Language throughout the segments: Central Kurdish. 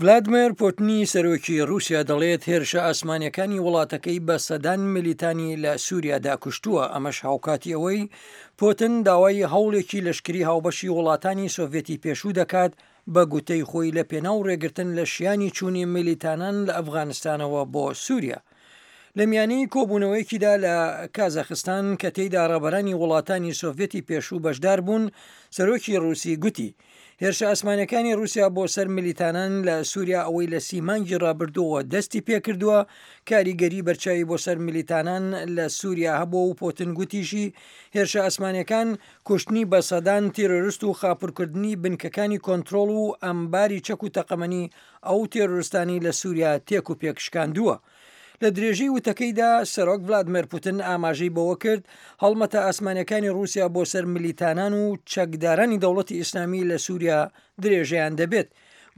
ڤلادمێر پوتنی سەرۆکی ڕووسیا دەڵێت هێرشە ئاسمانیەکانی وڵاتەکەی بە سەدان میلیتانی لە سووریادا کوشتووە، ئەمەش هاوکاتی ئەوەی پوتن داوای هەوڵێکی لەشکری هاوبەشی وڵاتانی سۆڤێتی پێشوو دەکات بە گوتەی خۆی لە پێناو ڕێگرتن لە شیانی چوونی میلیتانان لە ئەفغانستانەوە بۆ سووریا. لە میانەی کۆبوونەوەیەکیدا لە کازاخستان کە تێیدا ڕابەرانی وڵاتانی سۆڤێتی پێشوو بەشدار بوون، سەرۆکی ڕووسی گوتی، هێرشە ئاسمانیەکانی ڕووسیا بۆ سەر ملیتانان لە سووریا ئەوەی لە سی مانگی ڕابردووەوە دەستی پێکردووە، کاریگەری بەرچاوی بۆ سەر ملیتانان لە سووریا هەبووە و پۆتن گوتیشی، هێرشە ئاسمانیەکان کوشتنی بە سەدان تیرۆرست و خاپورکردنی بنکەکانی کۆنترۆڵ و ئەمباری چەک و تەقەمەنی ئەو تێرۆرستانەی لە سووریا تێک و پێک شکاندووە. لە درێژەی وتەکەیدا سەرۆک ڤلادمێر پوتن ئاماژەی بەوە کرد، هەڵمەتە ئاسمانیەکانی ڕووسیا بۆ سەر ملیتانان و چەکدارانی دەوڵەتی ئیسلامی لە سووریا درێژەیان دەبێت.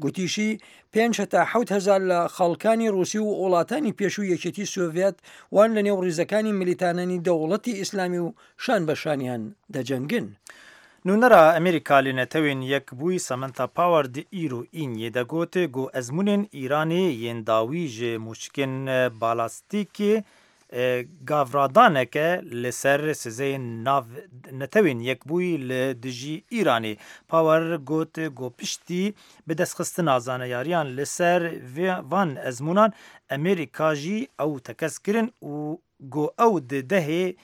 گوتیشی، پێنج هەتا 7000 لە خەڵکانی ڕووسی و وڵاتانی پێشووی یەکێتی سۆڤیەت وان لە نێو ڕیزەکانی ملیتانانی دەوڵەتی ئیسلامی و شان بە شانیان دەجەنگن. Nûnera Amerîka li Netewên Yekbûyî Samantha Power di îro Îniyê de got ku ezmûnên Îranê yên dawî ji mûşikên balastîkê gavradaneke li ser sizeyên nav Netewên Yekbûyî li dijî Îranê. Power got ku piştî bidestxistina zaneyariyan li ser van ezmûnan Amerîka jî ew tekez kirin û ku ew di dehê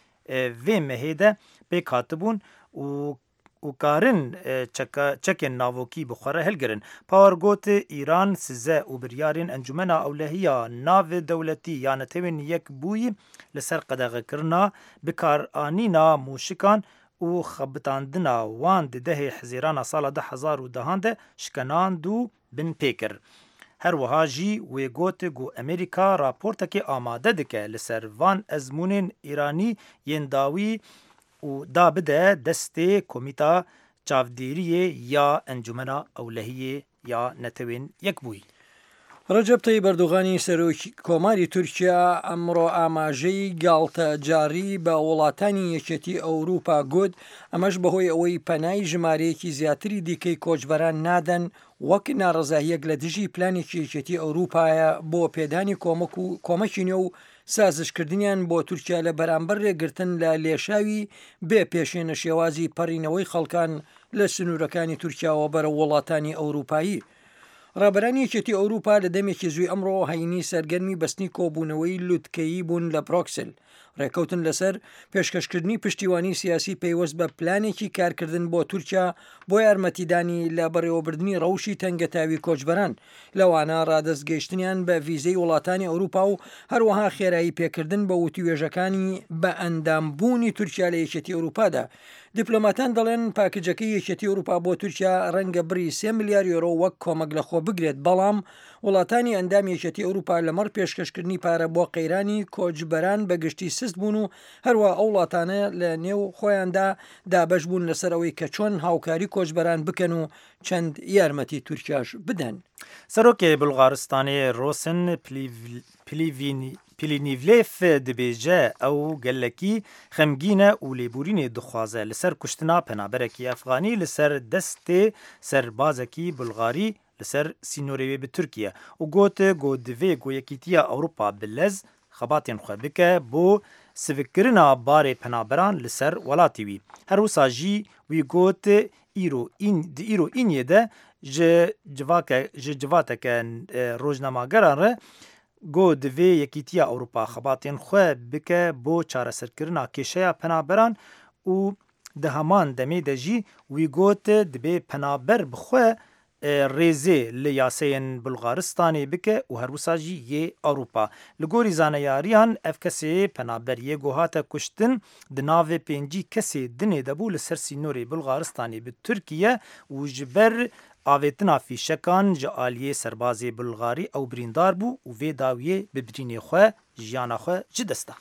vê mehê de pêk hatibûn û û karin çekên navokî bi xwe re hilgirin. Power got, Îran size û biryarên Encûmena Ewlehiya Navdewletî ya Netewên Yekbûyî li ser qedexekirina bikaranîna mûşikan û xebitandina wan di dehê Hizêrana sala 2010 de şikenand û bin pê kir. Her wiha jî wê got ku Amerîka raportekê amade dike li ser van ezmûnên Îranî yên dawî û da bide destê Komîta Çavdêriyê ya Encûmena Ewlehiyê ya Netewên Yekbûyî. ڕەجەب تەیب ئەردۆغانی سەرۆک کۆماری تورکیا ئەمڕۆ ئاماژەی گاڵتەجاڕی بە وڵاتانی یەکێتی ئەوروپا گوت، ئەمەش بەهۆی ئەوەی پەنای ژمارەیەکی زیاتری دیکەی کۆچبەران نادەن وەک ناڕەزاییەک لە دژی پلانێکی یەکێتی ئەوروپایە بۆ پێدانی کۆمەک و کۆمەکی نوێ و سازشکردنیان بۆ تورکیا لە بەرامبەر رێگرتن لە لێشاوی بێ پێشێنە شێوازی پەڕینەوەی خەڵکان لە سنوورەکانی تورکیاوە بەرەو وڵاتانی ئەوروپایی. ڕابەرانی یەکێتی ئەوروپا لە دەمێکی زووی ئەمڕۆ هەینی سەرگەرمی بەستنی کۆبوونەوەی لوتکەیی بوون لە برۆکسل، ڕێککەوتن لەسەر پێشکەشکردنی پشتیوانی سیاسی پەیوەست بە پلانێکی کارکردن بۆ تورکیا بۆ یارمەتیدانی لە بەڕێوەبردنی ڕەوشی تەنگەتاوی کۆچبەران، لەوانە ڕادەست گەیشتنیان بە ڤیزەی وڵاتانی ئەوروپا و هەروەها خێرایی پێکردن بە وتووێژەکانی بە ئەندامبوونی تورکیا لە یەکێتی ئەوروپادا. دیپلۆماتان دەڵێن پاکجەکەی یەکێتی ئەوروپا بۆ تورکیا ڕەنگە بڕی 3 ملیار یۆرۆ وەک کۆمەک لەخۆ بگرێت، بەڵام وڵاتانی ئەندامی یەکێتی ئەوروپا لەمەڕ پێشکەشکردنی پارە بۆ قەیرانی کۆچبەران بە گشتی سست بوون و هەروەها ئەو وڵاتانە لە نێو خۆیاندا دابەش بوون لەسەر ئەوەی کە چۆن هاوکاری کۆچبەران بکەن و چەند یارمەتی تورکیاش بدەن. Serokê Bulgaristanê Rosen Plevneliev dibêje ew gelekî xemgîn e û lêborînê dixwaze li ser kuştina penaberekî Efxanî li ser destê serbazekî Bulgarî li ser sînorê wê bi Tirkiye û got ku divê ku Yekîtiya Ewropa bi lez xebatên xwe bike bo sivikkirina barê penaberan li ser welatê wî. Her wisa jî wî got îro di îro îniyê de ji civake ji civateke rojnamegeran re got divê Yekîtiya Ewropa xebatên xwe bike bo çareserkirina kêşeya penaberan û di heman demê de jî wî got dibê penaber bi xwe rêzê li yaseyên Bulgaristanê bike û her wisa jî yê Ewropa. Li gorî zaneyariyan ev kesê penaber yê ku hate kuştin di navê 50 kesê dinê de bû li ser sînorê Bulgaristanê bi Tirkiye û ji ber avêtina fîşekan ji aliyê serbazê Bulgarî ew birîndar bû û vê dawiyê bi birînê xwe jiyana xwe ji dest da.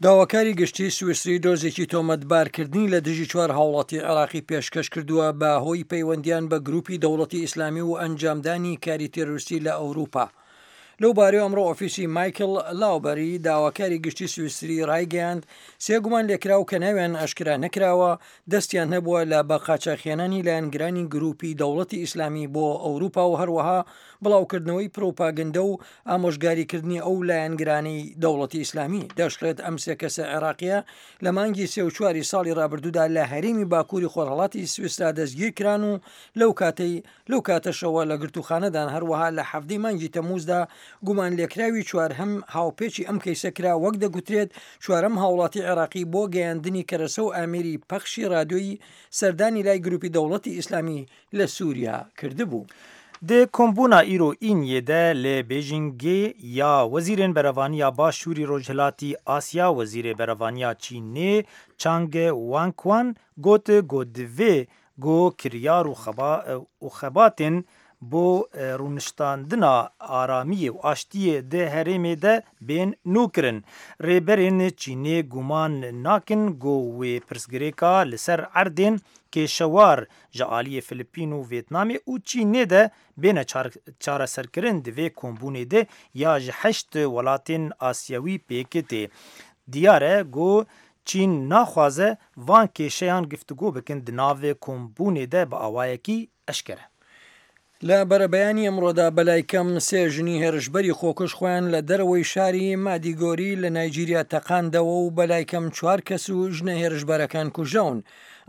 داواکاری گشتی سویسری دۆزێکی تۆمەتبارکردنی لە دژی چوار هاوڵاتی عێراقی پێشکەش کردووە بە هۆی پەیوەندیان بە گروپی دەوڵەتی ئیسلامی و ئەنجامدانی کاری تێرۆریستی لە ئەوروپا. لەو بارەیەوە ئەمڕۆ ئۆفیسی مایکل لاوبەری داواکاری گشتی سویسری ڕایگەیاند، سێ گومانلێکراو کە ناویان ئاشکرا نەکراوە، دەستیان هەبووە لە بە قاچاخهێنانی لایەنگرانی گروپی دەوڵەتی ئیسلامی بۆ ئەوروپا و هەروەها بڵاوکردنەوەی پروپاگندە و ئامۆژگاریکردنی ئەو لایەنگرانەی دەوڵەتی ئیسلامی. دەشڵێت ئەم سێ کەسە عێراقییە لە مانگی سێ و چواری ساڵی ڕابردوودا لە هەرێمی باکووری خۆرهەڵاتی سویسرا دەستگیرکران و لەو کاتەی لەو کاتەشەوە لە گرتووخانەدان، هەروەها لە حەڤدەی مانگی تەمووزدا گومانلێکراوی چوارهەم هاوپێچی ئەم کەیسە کرا، وەک دەگوترێت چوارەم هاوڵاتی عێراقی بۆ گەیاندنی کەرەسە و ئامێری پەخشی رادیۆیی سەردانی لای گروپی دەوڵەتی ئیسلامی لە سوریا کردبوو. Di kombûna îro Îniyê de li Bêjingê ya Wezîrên Berevaniya Başûrî Rojhilatî Asya Wezîrê Berevaniya Çînê Chang Wanquan got ku divê ku kiryar û xebatên bo rûniştandina aramiyê û aştiyê di herêmê de bên nûkirin. Rêberên Çînê guman nakin ku wê pirsgirêka li ser erdên kêşewar ji aliyê Filipîn û Vêtnamê û Çînê de bêne çareserkirin di vê kombûnê de ya ji heşt welatên Asyewî pêk tê. Diyar e ku Çîn naxwaze van kêşeyan giftigo bikin di nav kombûnê de bi awayekî eşkere. لە بەرەبەیانی ئەمڕۆدا بەلای کەم سێ ژنی هێرشبەری خۆکوژ خۆیان لە دەرەوەی شاری مادیگۆری لە نایجیریا تەقاندەوە و بەلای کەم چوار کەس و ژنە هێرشبەرەکان کوژراون.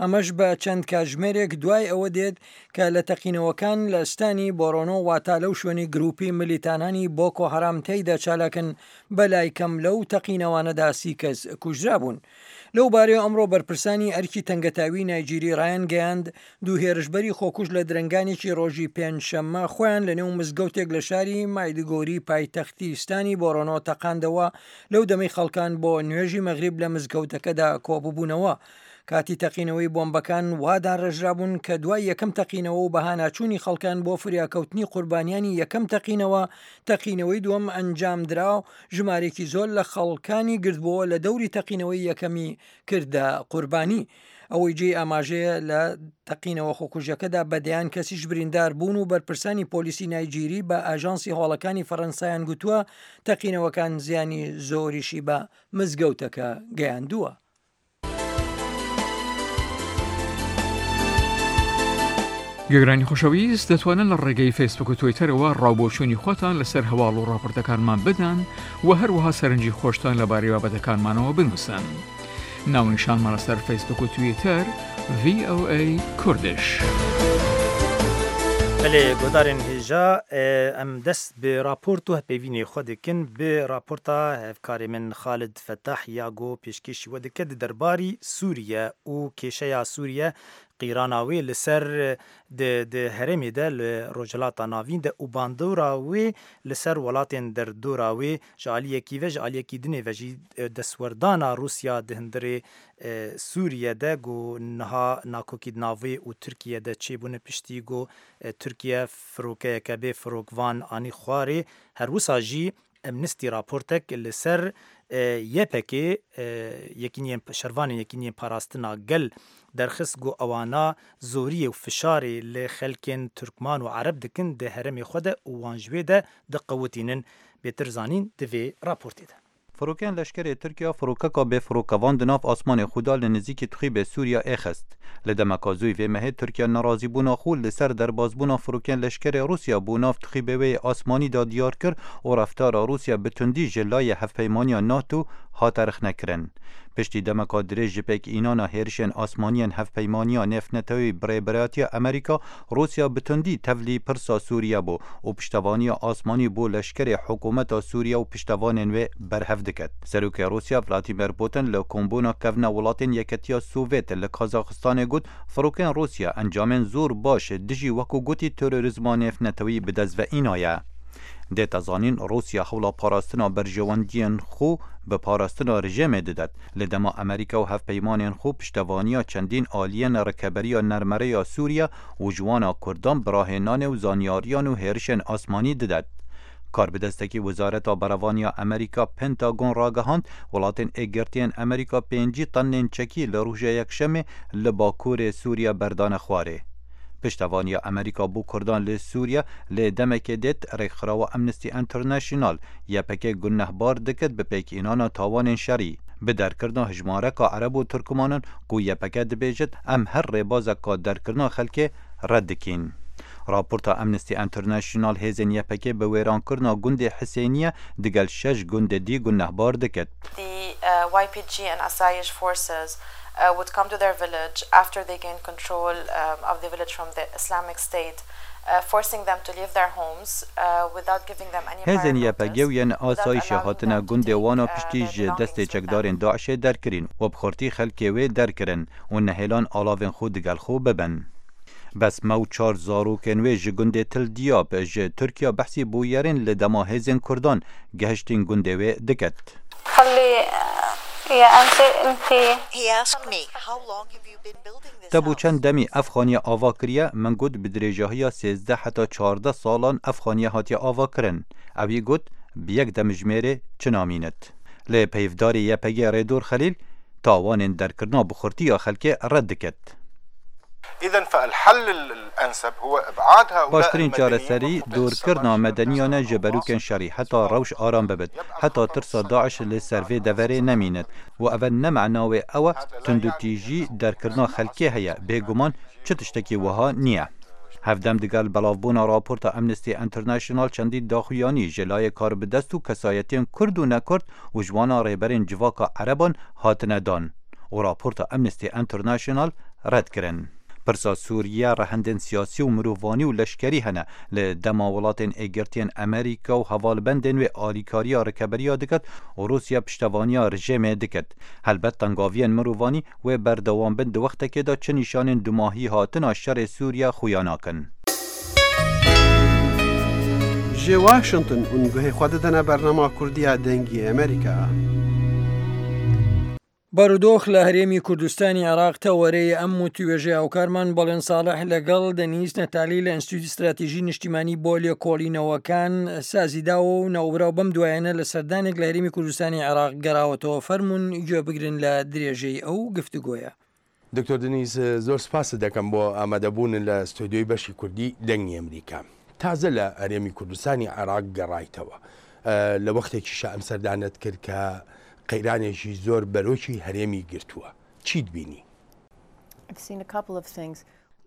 ئەمەش بە چەند کاتژمێرێک دوای ئەوە دێت کە لە تەقینەوەکان لە ستانی بۆرۆنۆ واتا لەو شوێنەی گروپی ملیتانانی بۆکۆ هەرام تێیدا چالاکن بەلای کەم لەو تەقینەوانەدا سی کەس کوژرابوون. لەو بارەیەوە ئەمڕۆ بەرپرسانی ئەرکی تەنگەتاوی نایجیری ڕایانگەیاند، دوو هێرشبەری خۆکوژ لە درەنگانێکی ڕۆژی پێنجشەممە خۆیان لەنێو مزگەوتێک لە شاری مایدگۆری پایتەختی ستانی بۆرۆنۆ تەقاندەوە لەو دەمەی خەڵکان بۆ نوێژی مەغریب لە مزگەوتەکەدا کۆببوونەوە. کاتی تەقینەوەی بۆمبەکان وا داڕێژرابوون کە دوای یەکەم تەقینەوە و بەهاناچوونی خەڵکان بۆ فریاکەوتنی قوربانیانی یەکەم تەقینەوە، تەقینەوەی دووەم ئەنجامدرا و ژمارێکی زۆر لە خەڵکانی گردبووەوە لە دەوری تەقینەوەی یەکەمی کردە قوربانی. ئەوەی جێی ئاماژەیە لە تەقینەوە خۆکوژیەکەدا بە دەیان کەسیش بریندار بوون و بەرپرسانی پۆلیسی نایجیری بە ئاژانسی هەواڵەکانی فەرەنسایان گوتووە تەقینەوەکان زیانی زۆریشی بە مزگەوتەکە گەیاندووە. گوێگرانی خۆشەویست دەتوانن لە ڕێگەی فەیسبوک و تویتەرەوە ڕاوبۆچوونی خۆتان لەسەر هەواڵ و ڕاپۆرتەکانمان بدەن و هەروەها سەرنجی خۆشتان لەبارەی بابەتەکانمانەوە بنووسن. ناونیشانمان لەسەر فەیسبوک و تویتەر VOA Kurdish. Belê guhdarên hêja em dest bi raport û hevpeyvînê xwe dikin bi raporta hevkarê min Xalid Fetah ya ku pêşkêşî we dike di derbarî Sûriye û kêşeya Sûriye qîrana wê li ser di di herêmê de li Rojhilata Navîn de û bandora wê li ser welatên derdora wê ji aliyekî ve ji aliyekî dinê ve jî destwerdana Rûsya di hundirê Sûriye de ku niha nakokî di nav wê û Tirkiye de çêbûne piştî ku Tirkiye firokeyeke bê firokvan anî xwarê her wisa jî Amnesty raportek li ser YPG Yekîniyên Şervanên Yekîniyên Parastina Gel derxist ku ewana zoriyê û fişarê li xelkên Tirkman û Ereb dikin di herêmê xwe de û wan ji wê de diqewitînin. Bêtir zanîn di vê raportê de. Firokeyên leşkerê Tirkiya firokeka bê firokevan di nav asmanê xwe de li nizîkî Tixîbê Sûriya ê xist. Li demeka zûy vê mehê Tirkiya nerazîbûna xwe li ser derbasbûna firokeyên leşkerê Rûsya bo nav Tixîbê wê yê asmanî de diyar kir û reftara Rûsya bi tundî ji layê hevpeymaniya NATO hate rexnekirin. Piştî demeka dirêj ji pêkînana hêrişên asmaniyên hevpeymaniya nêvnetewî bi rêberatiya Amerîka, Rûsya bi tundî tevlî pirsa Sûriye bû û piştevaniya asmanî bo leşkerê hikûmeta Sûriye û piştevanên wê berhev diket. Serokê Rûsya Vladimir Putin li kombûna kevna welatên Yeketiya Sovêt li Kazaxistanê got, Firokên Rûsya encamên zor baş dijî wekû gotî terorîzma nêvnetewî bi dest ve înaye. Dête zanîn Rûsya hewla parastina berjewendiyên xwe bi parastina rejêmê didet, li dema Amerîka û hevpeymanên xwe piştevaniya çendîn aliyên rikeberiya nermereya Sûriye û ji wana Kurdan bi rahênanê û zanyariyan û hêrişên asmanî didet. Karbidestekî Wezareta Berevaniya Amerîka Pentagon ragihand, welatên Êkgirtiyên Amerîka 50 tonnên çekî li roja Yekşemê li bakurê Sûriye berdane xwarê. Piştevaniya Amerîka bo Kurdan li Sûriye lê demekê dêt rêkxirawa Amnesty International YPG gunehbar dikit bi pêkînana tawanên şerî, bi derkirina hijmareka Ereb û Tirkmanan ku YPG dibêjit em her rêbazeka derkirina xelkê red dikîn. Raporta Amnesty International hêzên YPGê bi wêrankirina gundê Hisêniye digel şeş gundê dî gunehbar dikit. The YPG and Asayish forces would come to their village after they gained control of the village from the Islamic State, forcing them to leave their homes without giving them any prior Hêzên YPG notice, û yên without Asayişê allowing hatine them to gundê take wan û piştî their ji destê belongings with them. çekdarên DAIŞ'ê derkirîn û bi xurtî xelkê wê derkirin û nehêlan alavên xwe digel xwe bibin. Besme û çar zarokên wê ji gundê Til Diyab ji Tirkiya behsî bûyerên li dema hêzên Kurdan gehiştîn gundê wê diket. Te bo çend demî ev xaniye ava kiriye? Min got bi dirêjahiya 13 heta 14 salan ev xaniye hatiye avakirin. Ewî got bi yek demijmêrê çi namînit. Lê peyvdarê YPG'ê Rêdûr Xelîl tawanên derkirina bi xurtî ya xelkê red diket. Baştirîn çareserî dûrkirina medeniyan e ji berûkên şerî heta rewş aram bibit, heta tirsa DAIŞ li ser vê deverê nemînit û ev ne mena wê ew e tundûtîjî derkirina xelkê heye, bêguman çi tiştekî wiha niye. Hevdem digel belavbûna raporta Amnesty International çendî daxuyanî ji layê karbidest û kesayetiyên kurd û nekurd û ji wana rêberên civaka ereban hatine dan û raporta Amnesty International red kirin. Pirsa Sûriye rehendên siyasî û mirovanî û leşkerî hene li dema welatên Êgirtiyên Amerîka û hevalbendên wê alîkariya rikeberiya diket û Rûsya piştevaniya rejêmê diket. Helbet tengaviyên mirovanî wê berdewam bin di wextekê de çi nîşanên dumahî hatina şerê Sûriye xuya nakin. Ji Washington hûn guhê xwe didine bernama Kurdî ya Dengê Amerîka. بارودۆخ لە هەرێمی کوردستانی عێراق تەوەرەی ئەم وتوێژەی هاوکارمان بەڵێن ساڵح لەگەڵ دەنیز نەتالی لە ئینستیتوتی ستراتیژی نیشتیمانی بۆ لێکۆڵینەوەکان سازی داوە و ناوبراو بەم دوایانە لە سەردانێک لە هەرێمی کوردستانی عێراق گەراوەتەوە فەرمونون گوێ بگرن لە درێژەی ئەو گفتوگۆیە. دکتۆر دنیز زۆر سپاست دەکەم بۆ ئامادەبوونت لە ستۆدیۆی بەشی کوردی دەنگی ئەمریکا. تازە لە هەرێمی کوردستانی عێراق گەڕایتەوە. لە وەختێکیشا ئەم سەردانەت کرد کە قەیرانێکی زۆر بەرۆکی هەرێمی گرتووە. چیت بینی؟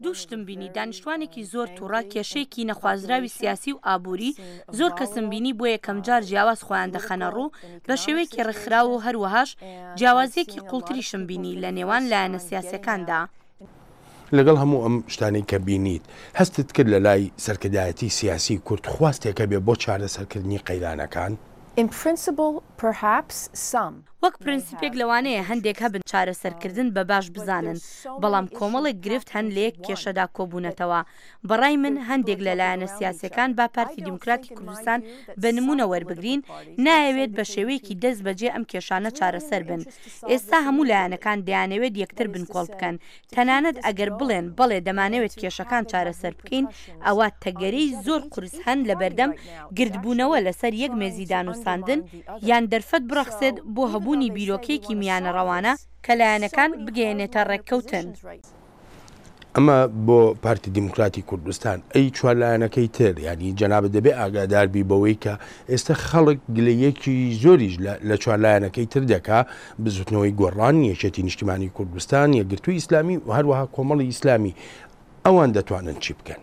دوو شتم بینی، دانیشتوانێکی زۆر توڕە، کێشەیەکی نەخوازراوی سیاسی و ئابووری، زۆر کەسم بینی بۆ یەکەمجار جیاواز خۆیان دەخەنەڕوو بە شێوەیەکی ڕێکخراو و هەروەهاش جیاوازییەکی قوڵتریشم بینی لە نێوان لایەنە سیاسیەکاندا. لەگەڵ هەموو ئەم شتانەی کە بینیت، هەستت کرد لە لای سەرکردایەتی سیاسی کورد خواستێک هەبێ بۆ چارەسەرکردنی قەیرانەکان؟ In principle, perhaps some. وەک پرنسیپێک لەوانەیە هەندێک هەبن چارەسەرکردن بە باش بزانن، بەڵام کۆمەڵێک گرفت هەن لەیەک کێشەدا کۆبوونەتەوە. بەڕای من هەندێک لە لایەنە سیاسیەکان با پارتی دیموکراتی کوردستان بە نموونە وەربگرین، نایەوێت بە شێوەیەکی دەست بەجێ ئەم کێشانە چارەسەر بن. ئێستا هەموو لایەنەکان دەیانەوێت یەکتر بنکۆڵ بکەن، تەنانەت ئەگەر بڵێن بەڵێ دەمانەوێت کێشەکان چارەسەر بکەین، ئەوا تەگەرەی زۆر قورس هەن لەبەردەم گردبوونەوە لەسەر یەک مێزی دانوستاندن، یان دەرفەت بڕەخسێت بۆ هەبوونی بیرۆکەیەکی میانەڕەوانە کە لایەنەکان بگەیەنێتە ڕێککەوتن. ئەمە بۆ پارتی دیموکراتی کوردستان، ئەی چوار لایەنەکەی تر، یانی جەنابت دەبێ ئاگادار بی بەوەی کە ئێستا خەڵک گلەیەکی زۆریش لە چوار لایەنەکەی تر دەکا، بزوتنەوەی گۆڕان، یەکێتی نیشتیمانی کوردستان، یەکگرتووی ئیسلامی و هەروەها کۆمەڵی ئیسلامی، ئەوان دەتوانن چی بکەن؟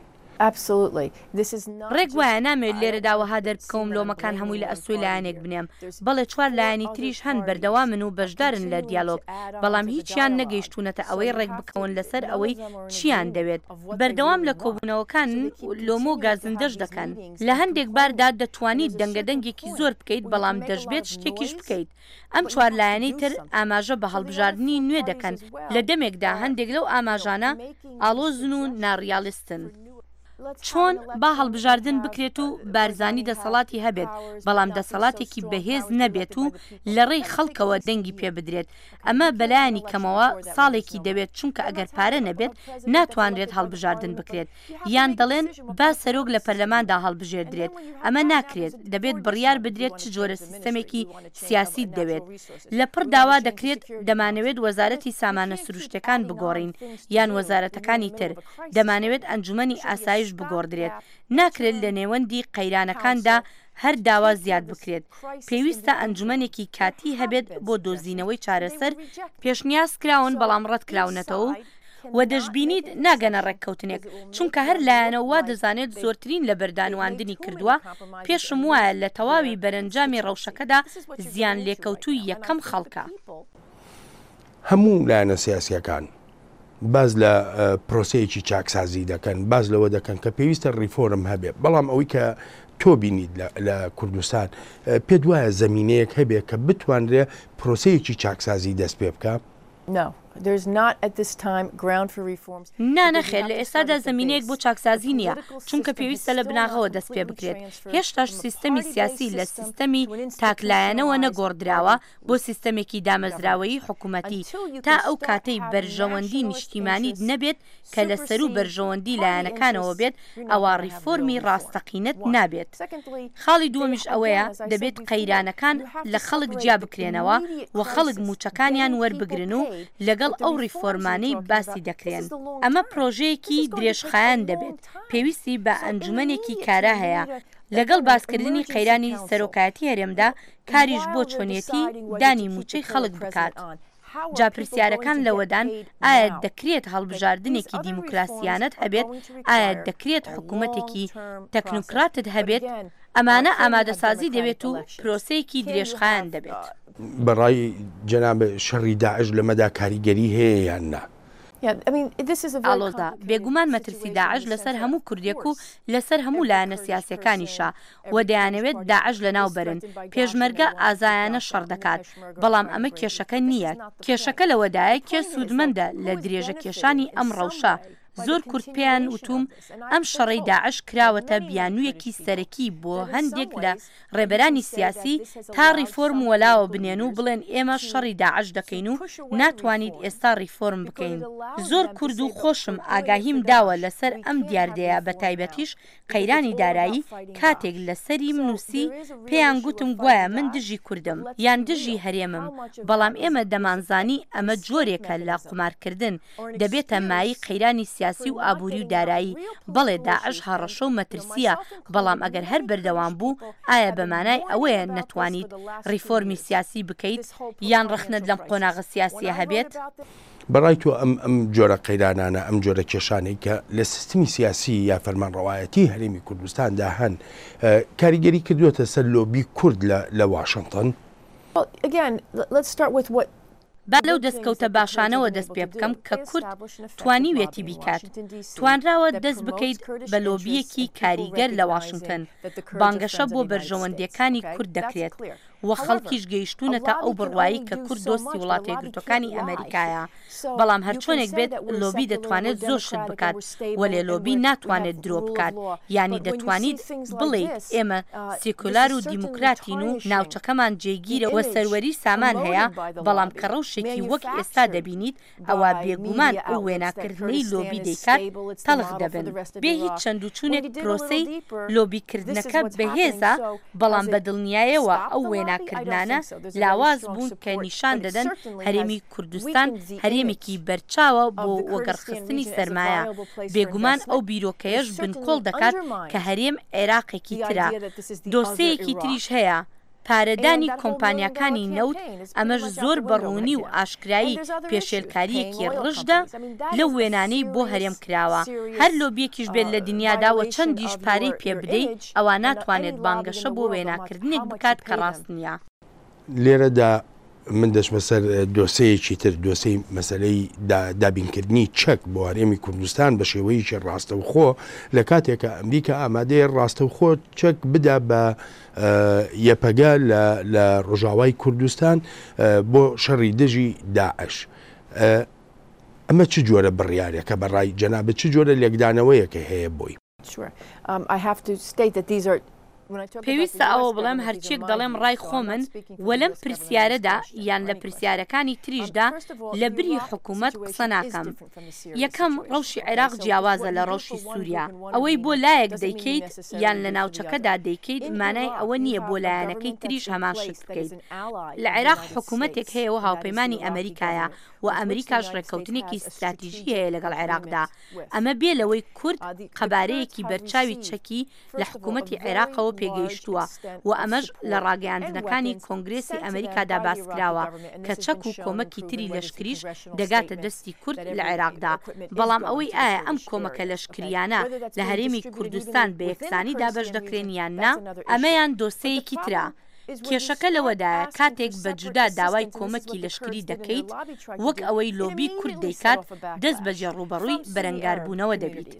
ڕێک وایە، نامەوێت لێرەدا وەها دەربکەوم لۆمەکان هەمووی لە ئەستۆی لایەنێک بنێم، بەڵێ چوار لایەنی تریش هەن بەردەوامن و بەشدارن لە دیالۆگ، بەڵام هیچیان نەگەیشتوونەتە ئەوەی ڕێکبکەون لەسەر ئەوەی چییان دەوێت، بەردەوام لە کۆبوونەوەکانن و لۆمە و گازندەش دەکەن. لە هەندێک باردا دەتوانیت دەنگەدەنگێکی زۆر بکەیت، بەڵام دەشبێت شتێکیش بکەیت. ئەم چوار لایەنەی تر ئاماژە بە هەڵبژاردنی نوێ دەکەن لە دەمێکدا هەندێک لەو ئاماژانە ئاڵۆزن و ناڕیالیستن. چۆن؟ با هەڵبژاردن بکرێت و بارزانی دەسەڵاتی هەبێت، بەڵام دەسەڵاتێکی بەهێز نەبێت و لەڕێی خەڵکەوە دەنگی پێبدرێت، ئەمە بەلایەنی کەمەوە ساڵێکی دەوێت چونکە ئەگەر پارە نەبێت ناتوانرێت هەڵبژاردن بکرێت، یان دەڵێن با سەرۆک لە پەرلەماندا هەڵبژێردرێت، ئەمە ناکرێت، دەبێت بڕیار بدرێت چ جۆرە سیستەمێکی سیاسیت دەوێت. لە پڕ داوا دەکرێت دەمانەوێت وەزارەتی سامانە سروشتیەکان بگۆڕین یان وەزارەتەکانی تر، دەمانەوێت ئەنجومەنی ئاسایش بگۆڕدرێت، ناکرێت لە نێوەندی قەیرانەکاندا هەر داوا زیاد بکرێت، پێویستە ئەنجومەنێکی کاتی هەبێت بۆ دۆزینەوەی چارەسەر، پێشنیاز کراون بەڵام ڕەتکراونەتەوە و و دەشبینیت ناگەنە ڕێککەوتنێک، چونکە هەر لایەنە و وا دەزانێت زۆرترین لەبەردانواندنی کردووە، پێشم وایە لە تەواوی بەرەنجامی ڕەوشەکەدا زیانلێکەوتووی یەکەم خەڵکە. هەموو لایەنە سیاسییەکان باس لە پرۆسەیەکی چاکسازی دەکەن، باس لەوە دەکەن کە پێویستە ڕیفۆرم هەبێ، بەڵام ئەوەی کە تۆ بینیت لە کوردستان پێت وایە زەمینەیەک هەبێ کە بتوانرێ پرۆسەیەکی چاکسازی دەست پێ بکا؟ نا نەخێر لە ئێستادا زەمینەیەک بۆ چاکسازی نییە، چونکە پێویستە لە بناغەوە دەست پێ بکرێت، هێشتاش سیستەمی سیاسی لە سیستەمی تاکلایەنەوە نەگۆڕدراوە بۆ سیستەمێکی دامەزراوەیی حکومەتی، تا ئەو کاتەی بەرژەوەندی نیشتیمانیت نەبێت کە لە سەروو بەرژەوەندی لایەنەکانەوە بێت ئەوا ڕیفۆرمی ڕاستەقینەت نابێت. خاڵی دووەمیش ئەوەیە دەبێت قەیرانەکان لە خەڵک جیا بکرێنەوە و خەڵک مووچەکانیان وەربگرن و لەگەڵ ئەو ڕیفۆرمانەی باسی دەکرێن. ئەمە پرۆژەیەکی درێژخایەن دەبێت، پێویستی بە ئەنجومەنێکی کارا هەیە، لەگەڵ باسکردنی قەیرانی سەرۆکایەتی هەرێمدا کاریش بۆ چۆنیەتی دانی مووچەی خەڵک بکات. جا پرسیارەکان لەوەدان ئایا دەکرێت هەڵبژاردنێکی دیموکراسیانەت هەبێت، ئایا دەکرێت حکومەتێکی تەکنۆکراتت هەبێت، ئەمانە ئامادەسازی دەوێت و پرۆسەیەکی درێژخایەن دەبێت. بە ڕای جەنابت شەڕی داعش لەمەدا کاریگەری هەیە یان نا؟ ئاڵۆزە، بێگومان مەترسی داعش لەسەر هەموو کوردێک و لەسەر هەموو لایەنە سیاسیەکانیشە و دەیانەوێت داعش لەناو بەرن، پێشمەرگە ئازایانە شەڕ دەکات، بەڵام ئەمە کێشەکە نییە، کێشەکە لەوەدایە کێ سوودمەندە لە درێژە کێشانی ئەم ڕەوشە، زۆر کورد پێیان وتووم ئەم شەڕەی داعش کراوەتە بیانوویەکی سەرەکی بۆ هەندێک لە ڕێبەرانی سیاسی تا ڕیفۆرم وەلاوە بنێن و بڵێن ئێمە شەڕی داعش دەکەین و ناتوانیت ئێستا ڕیفۆرم بکەین. زۆر کورد و خۆشم ئاگاهیم داوە لەسەر ئەم دیاردەیە بەتایبەتیش قەیرانی دارایی کاتێک لەسەریم نووسی پێیان گوتم گوایە من دژی کوردم یان دژی هەرێمم بەڵام ئێمە دەمانزانی ئەمە جۆرێکە لە قومارکردن دەبێتە مایەی قەیرانی سیاسی و ئابووری و دارایی، بەڵێ داعش هەڕەشە و مەترسییە، بەڵام ئەگەر هەر بەردەوام بوو، ئایا بە مانای ئەوەیە نەتوانیت ڕیفۆرمی سیاسی بکەیت یان ڕەخنەت لەم قۆناغە سیاسییە هەبێت؟ بە ڕای تۆ ئەم ئەم جۆرە قەیرانانە، ئەم جۆرە کێشانەی کە لە سیستمی سیاسی یا فەرمانڕەوایەتی هەرێمی کوردستاندا هەن، کاریگەری کردووەتە سەر لۆبی کورد لە لە واشنتن؟ با لەو دەستکەوتە باشانەوە دەست پێ بکەم کە کورد توانیویەتی بیکات، توانراوە دەست بکەیت بە لۆبییەکی کاریگەر لە واشنتن، بانگەشە بۆ بەرژەوەندییەکانی کورد دەکرێت و خەڵکیش گەیشتوونەتە ئەو بڕوایەی کە کورد دۆستی وڵاتەیەکگرتووەکانی ئەمەریکایە، بەڵام هەرچۆنێک بێت لۆبی دەتوانێت زۆر شت بکات، وەلێ لۆبی ناتوانێت درۆ بکات، یانی دەتوانیت بڵێیت ئێمە سیکۆلار و دیموکراتین و ناوچەکەمان جێگیرە و سەروەری سامان هەیە، بەڵام کە ڕەوشێکی وەک ئێستا دەبینیت ئەوا بێگومان ئەو وێناکردنەی لۆبی دەیکات تەڵخ دەبن. بێ هیچ چەندوچونێک پرۆسەی لۆبیکردنەکە بەهێزە، بەڵام بە دڵنیایەوە ئەو وێناکردنانە لاواز بوون کە نیشان دەدەن هەرێمی کوردستان هەرێمێکی بەرچاوە بۆ وەگەڕخستنی سەرمایە، بێگومان ئەو بیرۆکەیەش بنکۆڵ دەکات کە هەرێم عێراقێکی ترە. دۆسێیەکی تریش هەیە، پارەدانی کۆمپانیاکانی نەوت، ئەمەش زۆر بە ڕوونی و ئاشکرایی پێشێلکارییەکی ڕژدە لەو وێنانەی بۆ هەرێم کراوە. هەر لۆبییەکیش بێت لە دنیادا و چەندیش پارەی پێ بدەی ئەوا ناتوانێت بانگەشە بۆ وێناکردنێک بکات کە ڕاست نییە. لێرەدا من دەچمە سەر دۆسێیەکی تر، دۆسێی مەسەلەی دابینکردنی چەک بۆ هەرێمی کوردستان بە شێوەیەکی ڕاستەوخۆ، لە کاتێکا ئەمریکا ئامادەیە ڕاستەوخۆ چەک بدا بە یەپەگە لە ڕۆژاوای کوردستان بۆ شەڕی دژی داعش. ئەمە چ جۆرە بڕیارێکە بە ڕای جەنابت چ جۆرە لێکدانەوەیەکە هەیە بۆی؟ پێویستە ئەوە بڵێم هەرچیەک دەڵێم ڕای خۆمن وە لەم پرسیارەدا یان لە پرسیارەکانی تریشدا لە بری حکومەت قسە ناکەم. یەکەم ڕەوشی عێراق جیاوازە لە ڕەوشی سوریا، ئەوەی بۆ لایەک دەیکەیت یان لە ناوچەکەدا دەیکەیت مانای ئەوە نییە بۆ لایەنەکەی تریش هەمان شت بکەیت. لە عێراق حکومەتێک هەیە و هاوپەیمانی ئەمریکایە و ئەمریکاش ڕێککەوتنێکی ستراتیژی هەیە لەگەڵ عێراقدا، ئەمە بێ لەوەی کورد قەبارەیەکی بەرچاوی چەکی لە حکوومەتی عێراقەوە پێگەیشتووە و ئەمەش لە ڕاگەیاندنەکانی کۆنگرێسی ئەمریکادا باسکراوە کە چەک و کۆمەکی تری لەشکریش دەگاتە دەستی کورد لە عێراقدا بەڵام ئەوەی ئایا ئەم کۆمەکە لەشکریانە لە هەرێمی کوردستان بە یەکسانی دابەش دەکرێن یان نا ئەمەیان دۆسێیەکی ترە. کێشەکە لەوەدایە کاتێک بە جودا داوای کۆمەکی لەشکری دەکەیت وەک ئەوەی لۆبی کورد دەیکات دەست بەجێ ڕووبەڕووی بەرەنگاربوونەوە دەبیت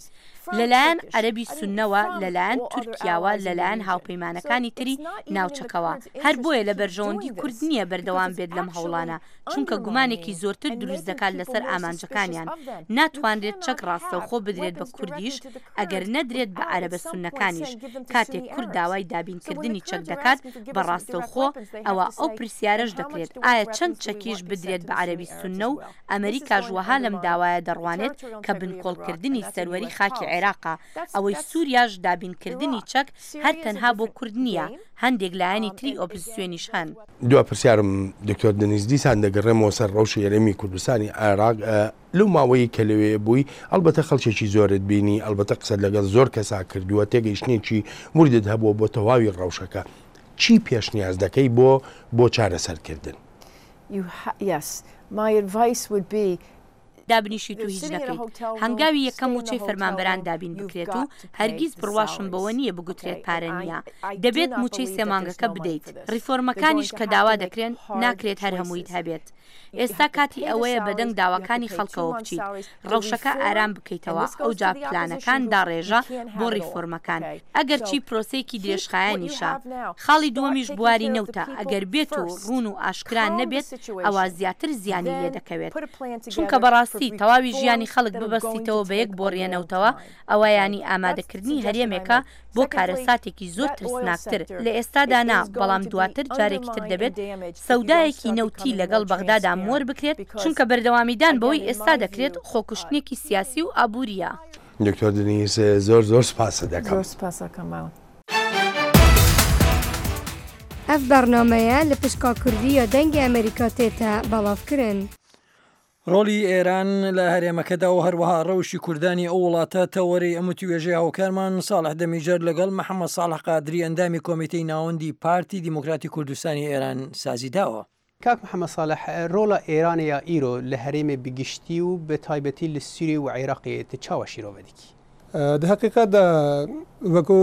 لەلایەن عەرەبی سوننەوە لەلایەن تورکیاوە لەلایەن هاوپەیمانەکانی تری ناوچەکەوە هەر بۆیە لە بەرژەوەندی کورد نییە بەردەوام بێت لەم هەوڵانە چونکە گومانێکی زۆرتر دروست دەکات لەسەر ئامانجەکانیان، ناتوانرێت چەک ڕاستەوخۆ بدرێت بە کوردیش ئەگەر نەدرێت بە عەرەبە سوننەکانیش، کاتێک کورد داوای دابینکردنی چەک دەکات بە ڕاستەوخۆ ئەوا ئەو پرسیارەش دەکرێت ئایا چەند چەکیش بدرێت بە عەرەبی سوننە و ئەمریکاش وەها لەم داوایە دەڕوانێت کە بنکۆڵکردنی سەروەری خاکی عێراقە، ئەوەی سوریاش دابینکردنی چەک هەر تەنها بۆ کورد نییە هەندێک لایەنی تری ئۆپزسیۆنیش هەن. دوا پرسیارم دکتۆر دەنیز دیسان دەگەڕێمەوە سەر ڕەوشی هەرێمی کوردستانی عێراق لەو ماوەیەی کە لەوێ بووی ئەڵبەتە خەڵکێکی زۆرت بینی ئەڵبەتە قسەت لەگەڵ زۆر کەسا کردووە تێگەیشتنێکی وردت هەبووە بۆ تەواوی ڕەوشەکە چی پێشنیاز دەکەی بۆ بۆ چارەسەرکردن؟ You ha yes my advice would be دابنیشیت و هیچ نەکەیت، هەنگاوی یەکەم مووچەی فەرمانبەران دابین بکرێت و هەرگیز بڕواشم بەوە نییە بگوترێت پارە نییە، دەبێت مووچەی سێ مانگەکە بدەیت، ڕیفۆرمەکانیش کە داوا دەکرێن ناکرێت هەر هەموویت هەبێت. ئێستا کاتی ئەوەیە بەدەنگ داواکانی خەڵکەوە بچیت، ڕەوشەکە ئارام بکەیتەوە، ئەوجا پلانەکان داڕێژە بۆ ڕیفۆرمەکان، ئەگەرچی پرۆسەیەکی درێژخایەنیشە. خاڵی دووەمیش بواری نەوتە، ئەگەر بێت و ڕوون و ئاشکرا نەبێت ئەوا زیاتر زیانی لێدەکەوێت، چونکە بەڕاستی تەواوی ژیانی خەڵک ببەستیتەوە بە یەک بۆڕیە نەوتەوە ئەوە یانی ئامادەکردنی هەرێمێکە بۆ کارەساتێکی زۆر ترسناکتر، لە ئێستادا نا، بەڵام دواتر جارێکی تر دەبێت سەودایەکی نەوتی لەگەڵ بەغدادا مۆر بکرێت، چونکە بەردەوامیدان بەوەی ئێستا دەکرێت خۆکوشتنێکی سیاسی و ئابوورییە. دکتۆر دنیز زۆر زۆر سپاست دەکەم. زۆر سپاس ئەکەم مامە. ئەڤ بەرنامەیە لە پشکا کوردی یا دەنگی ئەمریکا تێتە بەڵاڤ کرن. ڕۆڵی ئێران لە هەرێمەکەدا و هەروەها ڕەوشی کوردانی ئەو وڵاتە تەوەرەی ئەم وتوێژەی هاوکارمان ساڵح دەمیجەر لەگەڵ محەممەد ساڵح قادری ئەندامی کۆمیتەی ناوەندی پارتی دیموکراتی کوردستانی ئێران سازی داوە. کاک محەمەد ساڵح، ڕۆڵا ئێرانێ یا ئیرۆ لە هەرێمێ bi گشتی و bi taybetî li Sûriyê û Iraqê tu çawa şîrove dikî? Di heqîqet de wekû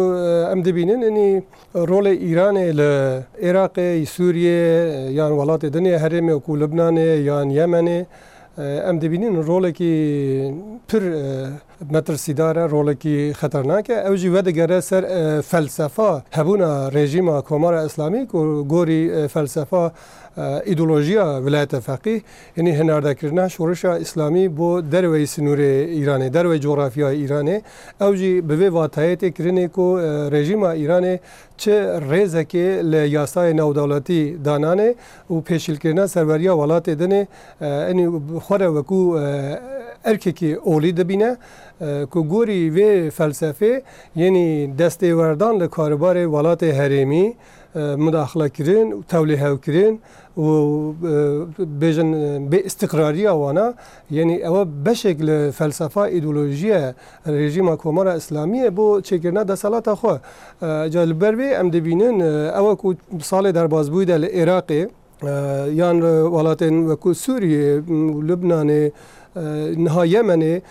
em dibînin înî rolê Îranê li Iraqê, Sûriyê yan welatê din ê herêmê wekû Lubnanê yan Yemenê em dibînin rolekî pir metirsîdar e, rolekî xeternak e. Ew jî vedigere ser felsefa hebûna rejîma Komara Îslamî ku gorî felsefa îdeolojiya Wilayeta Feqîh yanî hinardekirina şorişa Îslamî bo derveyî sinûrê Îranê, derveyî coğrafyaya Îranê. Ew jî bi vê wateyê tê kirinê ku rejîma Îranê çi rêzekê li yasayê navdewletî dananê û pêşîlkirina serweriya welatê dinê enî xwe re wekû erkekî olî dibîne ku gorî vê felsefê yenî destêwerdan li karûbarê welatê herêmî mudaxilekirin û tewlêhewkirin û bêjin bêîstiqrariya wan a, yenî ew beşek li felsefa îdeolojiye rejîma Komara Îslamî ye bo çêkirina deselata xwe. Ca li ber vê em dibînin ew ku salê derbasbûyî de li Iraqê yan li welatên wekû Sûriyê û Lubnanê Niha Yemenê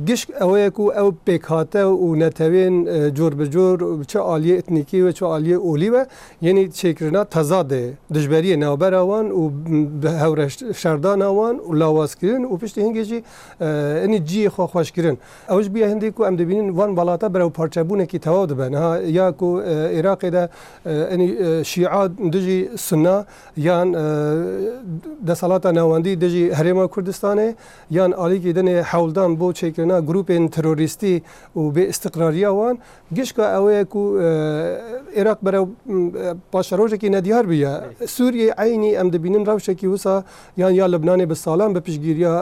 gişk ew ye ku ew pêkhate û netewên cor bi cor çi aliyê etnîkî we çi aliyê olî we yenî çêkirina tezadê, dijberiyê navbera wan û bi hewre şerdana wan û lawazkirin û piştî hingê jî enî ciyê xwe xweşkirin. Ew ji bûye hindê ku em dibînin van welata berew parçebûnekî tewaw dibe. Niha ya ku Iraqê de enî şîa dijî sunna yan deselata navendî dijî Herêma Kurdistanê yan alîkî dinê hewldan bo çêkirina grûpên terorîstî û bêîstiqrariya wan gişka ew ye ku Iraq berew paşerojekî nediyar bûye. Sûriyê eynî em dibînin rewşekî wisa yan ya Libnanê bi salan bi piştgîriya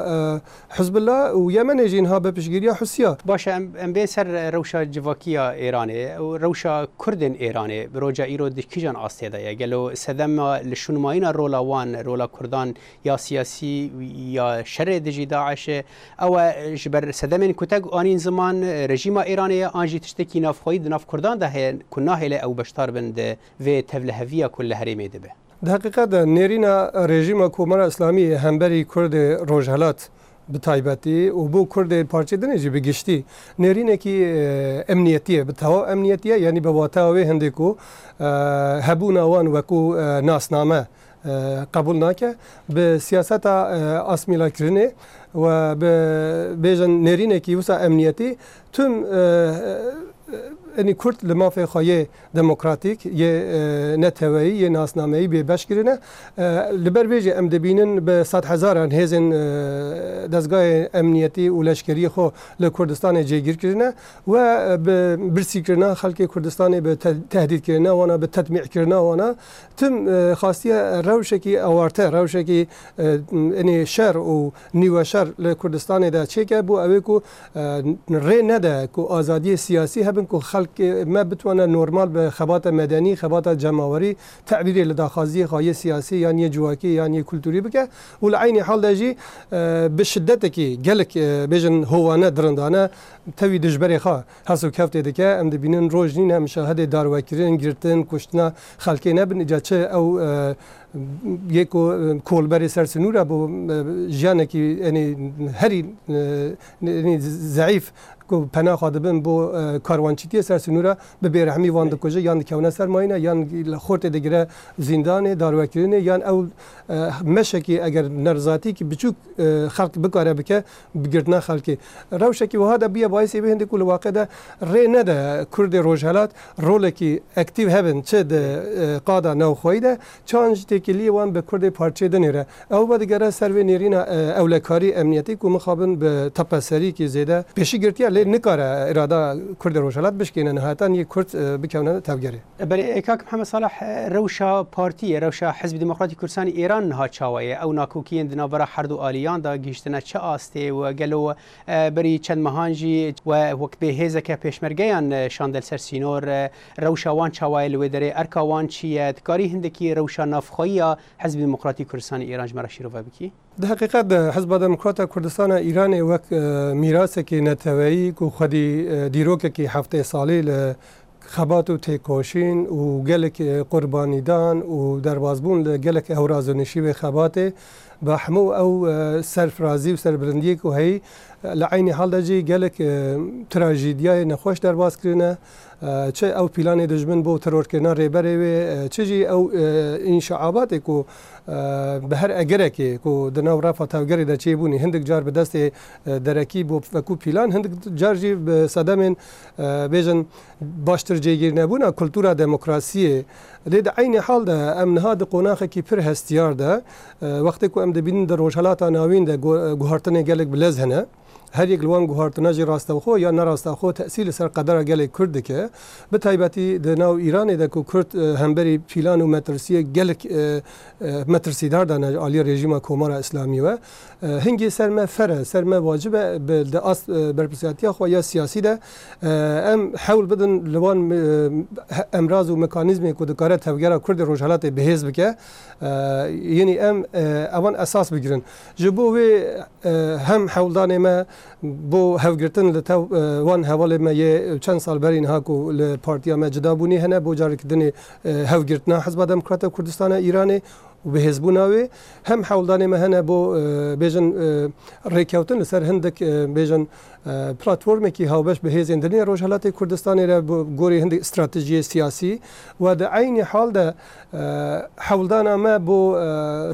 Hizbullah û Yemenê jî niha bi piştgîriya Husiya. Baş e em em bên ser rewşa civakî ya Îranê û rewşa Kurdên Îranê bi roja îro di kîjan astê de ye? Gelo sedema li şûnmayîna rola wan, rola Kurdan ya siyasî ya şerê dijî DAIŞ'ê ew e ji ber sedemên ku te anîn ziman rejîma Îranê ye an jî tiştekî navxweyî di nav Kurdan de heye ku nahêle ew beşdar bin di vê tevliheviya ku li herêmê dibe? Di heqîqet de nêrîna rejîma Komara Îslamî hemberî Kurdê Rojhilat bi taybetî û bo Kurdê parçê dinê jî bi giştî nêrînekî emniyetî ye, bi tewaw emniyetî ye yanî bi wateya wê hindê ku hebûna wan wekû nasname qebûl nake. Bi siyaseta asmîlakirinê û bi bêjin nêrînekî wisa emniyetî tim enî Kurd li mafê xwe yê demokratîk, yê neteweyî, yê nasnameyî bêbeş kirine. Li ber vê jî em dibînin bi sedhezaran hêzên dezgahê emniyetî û leşkeriyê xwe li Kurdistanê cêgîr kirine we bi birsîkirina xelkê Kurdistanê, bi tehdîdkirina wan a, bi tetmîkirina wan a tim xastiye rewşekî awarte, rewşekî enê şer û nîweşer li Kurdistanê de çêke bo ew ê ku rê nede ku azadiyê siyasî hebin ku xelkê me bitwane normal bi xebata medenî, xebata cemawerî tebîrê li daxwaziyê xwe yê siyasî yan yê civakî yan yê kulturî bike û li eynî hal de jî bi şidetekî gelek bêjin hovane, dirindane tevî dijberê xwe hes û keftê dike. Em dibînin roj nîne mişahidê darwekirin, girtin, kuştina xelkê nebin îca çi ew Yê ku kolberê ser sinûr e bo jiyanekî enî herî enî zeîf ku pena xwe dibin bo karwançîtiyê ser sinûr e bi bêrehmî wan dikuje yan dikewne ser mayîne yan li xortê digire zîndanê darwekirinê yan ew meşekî eger nerizatîkî biçûk xelk bikare bike bi girtina xelkê. Rewşekî wiha de bûye bayisê wê hindê ku li waqê de rê nede Kurdê Rojhelat rolekî ektîv hebin çi di qada navxweyî de çi jî têkiliyê wan bi Kurdê parçeyê dinê re. Ew vedigere ser vê nêrîna ewlekarî, emniyetî ku mixabin bi tepeserîkî zêde pêşî girtiye lê nikare îrada Kurdê Rojhelat bişkêne nihayetan yê Kurd bikewne tevgerê. Belê Kak Mihemed Saleh rewşa partiyê, rewşa Hizbî Demokratî Kurdistanî Îran niha çawa ye? Ew nakokiyên di navbera her du aliyan de gihîştine çi astê û gelo berî çend mehan jî we wek bê hêzeke pêşmergeyan şande li ser sînor, rewşa wan çawa ye li wê derê, erka wan çi ye? Dikarî hindekî rewşa navxweyî ya Hizbî Demokratî Kurdistanî Îran ji me re şîrove bikî? Di heqîqet de Hizba Demokrata Kurdistana Îranê wek mîrasekî neteweyî ku xwedî dîrokekî heftê salî li Xebat û têkoşîn û gelek qurbanîdan û derbasbûn li gelek hewraz û nişîvê xebatê bi hemû ew serfirazî û serbilindiyê ku heyî li eynî hal de jî gelek trajîdiyayê nexweş derbas kirine. Çi ew pîlanê dijmin bo terorkirina rêberê wê çi jî ew înşaabatê ku bi her egerekê ku di nav refa tevgerê de çêbûnî hindik car bi destê derekî bo wekû pîlan hindik car jî bi sedemên Bêjin baştir cêgîrnebûna kultura demokrasiyê. Lê di eynî hal de em niha di qonaxekî pir hestiyar de wextê ku em dibînin di Rojhilata Navîn de guhartinê gelek bi lez hene. Her yek li wan guhartina jî rastewxwe ya nerastewxwe tesîr li ser qedera gelê Kurd dike. Bi taybetî di nav Îranê de ku Kurd hemberî pîlan û metirsiyê gelek metirsîdar dane ji aliyê rejîma Komara Îslamî ve. Hingê ser me fer e, ser me wacib e bi di ast berpirsyartiya xwe ya siyasî de em hewl bidin li wan emraz û mekanîzmên ku dikare tevgera Kurdê Rojhilatê bihêz bike yenî em evan esas bigirin. Ji bo wê hem hewldanê me bo hevgirtin li tev wan hevalên me yê çend sal berî niha ku li partiya me cida bûnî hene bo careke dinê hevgirtina Hizba Demokrata Kurdistana Îranê û bihêzbûna wê, hem hewldanê me hene bo bêjin rêkewtin li ser hindik bêjin platformekî hawbeş bi hêzên din ê Rojhilatê Kurdistanê re bi gorî hindik stratejiyê siyasî we di eynî hal de hewldana me bo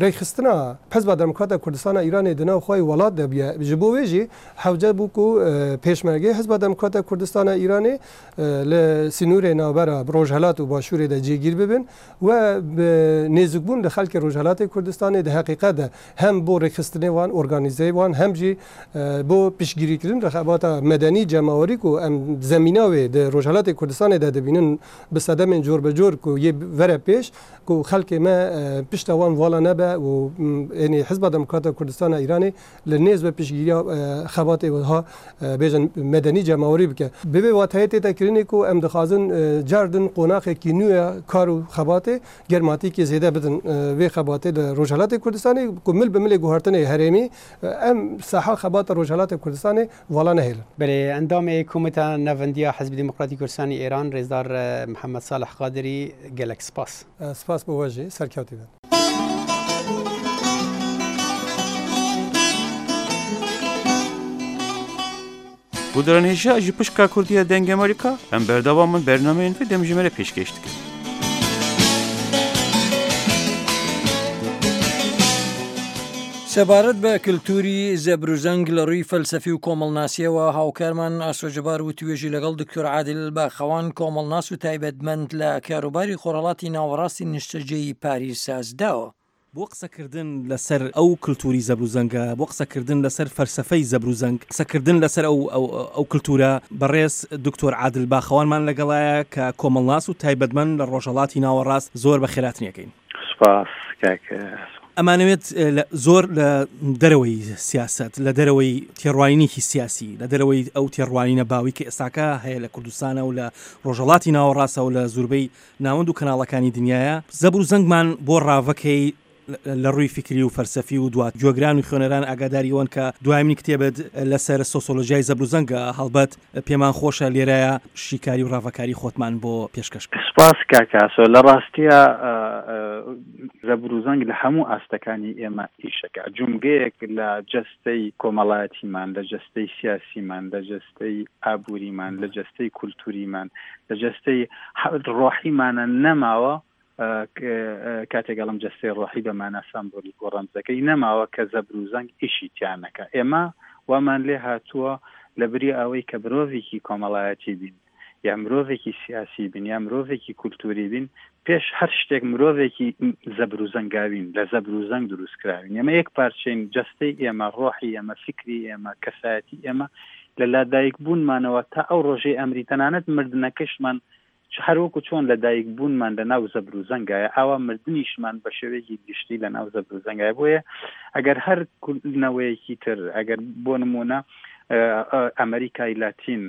rêkxistina Hizba Demokrata Kurdistana Îranê di nav xwe welat de bûye. Ji bo wê jî hewce bû ku Pêşmergeyê Hizba Demokrata Kurdistana Îranê li sînorê navbera Rojhilat û Başûrê de cêgîr bibin We bi nêzikbûn li xelkê xelkê Rojhilatê Kurdistanê di heqîqet de hem bo rêkxistinê wan, organîzeyê wan hem jî bo piştgirîkirin li xebata medenî cemawerî ku em zemîna wê di Rojhilatê Kurdistanê de dibînin bi sedemên corbecor ku yê vere pêş ku xelkê me pişta wan vala nebe û ênî Hizba Demokrata Kurdistana Îranê li nêz ve piştgiriya xebatê wiha bêjin medenî cemawerî bike. Bi vê wateyê tête kirinê ku em dixwazin car din qonaxekî nû ya kar û xebatê germatîkê zêde bidin vê xebatê li Rojhilatê Kurdistanê ku mil bi milê guhertinê herêmî em saha xebata Rojhilatê Kurdistanê vala nehêlin. Belê, endamê Komîta Navendiya Hizbî Demokratî Kurdistanî Êran Rêzdar Mihemed Salih Qadirî gelek spas. Spas bo we jî, serkewtî bin. Guhdaran hêja ji pişka Kurdî ya Dengê Amerîka em berdewam in bernameyên vê demjimêrê pêşkêş dikin. سەبارەت بە کلتوری زەبروزەنگ لە ڕووی فەلسەفی و کۆمەڵناسیەوە هاوکارمان ئاسۆ جەبار وتوێژی لەگەڵ دکتۆر عادل باخەوان کۆمەڵناس و تایبەتمەند لە کاروباری خۆرهەڵاتی ناوەڕاستی نیشتەجێی پاریس سازداوە. بۆ قسەکردن لەسەر ئەو کلتوری زەبروزەنگە، بۆ قسەکردن لەسەر فەلسەفەی زەبروزەنگ، قسەکردن لەسەر ئەو ئەو کلتورە، بەڕێز دکتۆر عادل باخەوانمان لەگەڵایە کە کۆمەڵناس و تایبەتمەند لە ڕۆژهەڵاتی ناوەڕاست، زۆر بەخێراتنی ئەکەین. سوپاس کاک ئاسۆ. ئەمانەوێت لە زۆر لە دەرەوەی سیاسەت، لە دەرەوەی تێڕوانینێکی سیاسی، لە دەرەوەی ئەو تێڕوانینە باوەی کە ئێستاکە هەیە لە کوردستانە و لە ڕۆژهەڵاتی ناوەڕاستە و لە زوربەی ناوەند و کەناڵەکانی دنیایە، زەبر و زەنگمان بۆ ڕاڤەکەی لە ڕووی فیکری و فەلسەفی و دوات گوێگران و خوێنەران ئاگاداری ئەوەن کە دوایمین کتێبت لەسەر سۆسۆلۆژیای زەبر و زەنگە، هەڵبەت پێمان خۆشە لێرەیا شیکاری و ڕاڤەکاری خۆتمان بۆ پێشکەش بکەی. سوپاس کاک ئاسۆ، لە ڕاستیا زەبر و زەنگ لە هەموو ئاستەکانی ئێمە ئیشەکا، جومگەیەک لە جەستەی کۆمەڵایەتیمان، لە جەستەی سیاسیمان، لە جەستەی ئابووریمان، لە جەستەی کولتووریمان، لە جەستەی ڕۆحیمانە نەماوە، کاتێک ئەڵێم جەستەی ڕۆحی بە مانا سامبۆلیک و ڕەمزەکەی نەماوە کە زەبر و زەنگ ئیشی تیا نەکا. ئێمە وامان لێ هاتووە لە بری ئەوەی کە مرۆڤێکی کۆمەڵایەتی بین یا مرۆڤێکی سیاسی بین یا مرۆڤێکی کولتووری بین، پێش هەر شتێک مرۆڤێکی زەبر و زەنگاوین، لە زەبر و زەنگ دروست کراوین. ئێمە یەک پارچەین، جەستەی ئێمە، ڕۆحی ئێمە، فیکری ئێمە، کەسایەتی ئێمە لە لادایک بوونمانەوە تا ئەو ڕۆژەی ئەمری، تەنانەت مردنەکەشمان هەر وەکو چۆن لە دایک بوونمان لە ناو زەبر و زەنگایە، ئاوا مردنیشمان بە شێوەیەکی گشتی لە ناو زەبر و زەنگایە. بۆیە ئەگەر هەر نەوەیەکی تر، ئەگەر بۆ نموونە ئەمریکای لاتین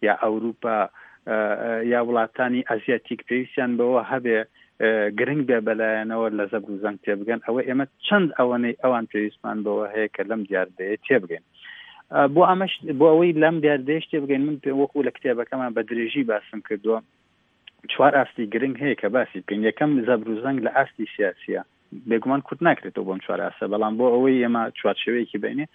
یا ئەوروپا یا وڵاتانی ئەزیاتیک پێویستیان بەوە هەبێ گرنگ بێ بەلایەنەوە لە زەبر و زەنگ تێبگەن، ئەوە ئێمە چەند ئەوەنەی ئەوان پێویستمان بەوە هەیە کە لەم دیاردەیە تێبگەین. بۆ ئەمەش بۆ ئەوەی لەم دیاردەیەش تێبگەین من پێ وەکو لە کتێبەکەمان بە درێژی باسم کردووە چوار ئاستی گرنگ هەیە کە باسی بکەین یەکەم زەبر و زەنگ لە ئاستی سیاسیە بێگومان کورت ناکرێتەوە بۆم چوار ئاستە بەڵام بۆ ئەوەی ئێمە چوارچێوەیەکی بینێ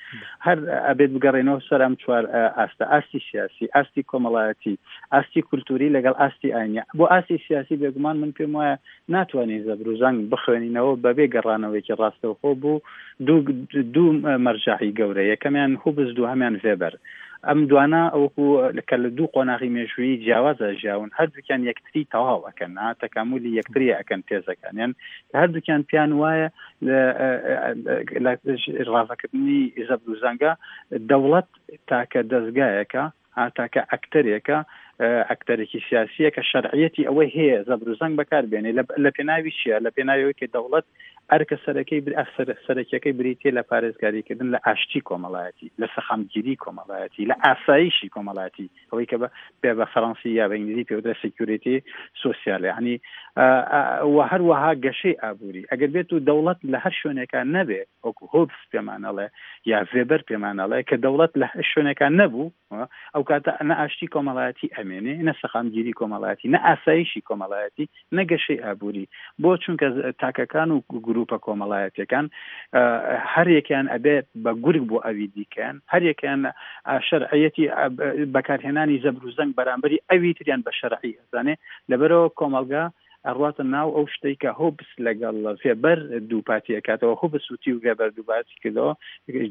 هەر ئەبێت بگەڕێنەوە سەر ئەم چوار ئاستە ئاستی سیاسی ئاستی کۆمەڵایەتی ئاستی کولتوری لەگەڵ ئاستی ئاینی بۆ ئاستی سیاسی بێگومان من پێم وایە ناتوانین زەبر و زەنگ بخوێنینەوە بەبێ گەڕانەوەیەکی ڕاستەوخۆ بۆ دوو مەرجەعی گەورە، یەکەمیان هوبز دووهەمیان ڤێبەر. ئەم دوانە وەکو کە لە دوو قۆناغی مێژوویی جیاوازا ژیاون، هەردووکیان یەکتری تەواو ئەکەن، تەکامولی یەکتری ئەکەن تێزەکانیان، کە هەردووکیان پێیان وایە لە ڕاڤەکردنی زەبر و زەنگە دەوڵەت تاکە دەزگایەکە تاکە ئەکتەرێکە، ئەکتەرێکی سیاسییە کە شەرعیەتی ئەوەی هەیە زەبر و زەنگ بەکار بێنێ. لە پێناوی چییە؟ لە پێناوی ئەوەی کە دەوڵەت ئەرکە سەرەکەی سەرەکیەکەی بریتییە لە پارێزگاریکردن لە ئاشتی کۆمەڵایەتی، لە سەقامگیری کۆمەڵایەتی، لە ئاسایشی کۆمەڵایەتی، ئەوەی کە بە بە فەرەنسی یا بە ئینگلیزی پێ وترێ سێکیوریتی سۆسیال، یعنی و هەروەها گەشەی ئابووری. ئەگەر بێت و دەوڵەت لە هەر شوێنێکا نەبێ، وەکو هۆبس پێمان ئەڵێ یا ڤێبەر پێمان ئەڵێ کە دەوڵەت لە هەر شوێنێکا نەبوو ئەو کاتە نە ئاشتی کۆمەڵایەتی ئەمێنێ نە سەقامگیری کۆمەڵایەتی نە ئاسایشی کۆمەڵایەتی نە گەشەی ئابووری بۆ چونکە تاکەکان و گروپە کۆمەڵایەتەکان هەرێکیان ئەبێت بە گورگ بۆ ئەوی دیکەیان هەرێکیان شەرعەتی بەکارهێنانی زەبر و زەنگ بەرامبەری ئەوی تریان بە شەرعی ئەزانێ لەبەرەوە کۆمەڵگا ئەڕواتە ناو ئەو شتەی کە هۆبس لەگەڵ ڤێبەر دووپاتی ئەکاتەوە، هۆبس وتی و ڤێبەر دووپاتی کردەوە،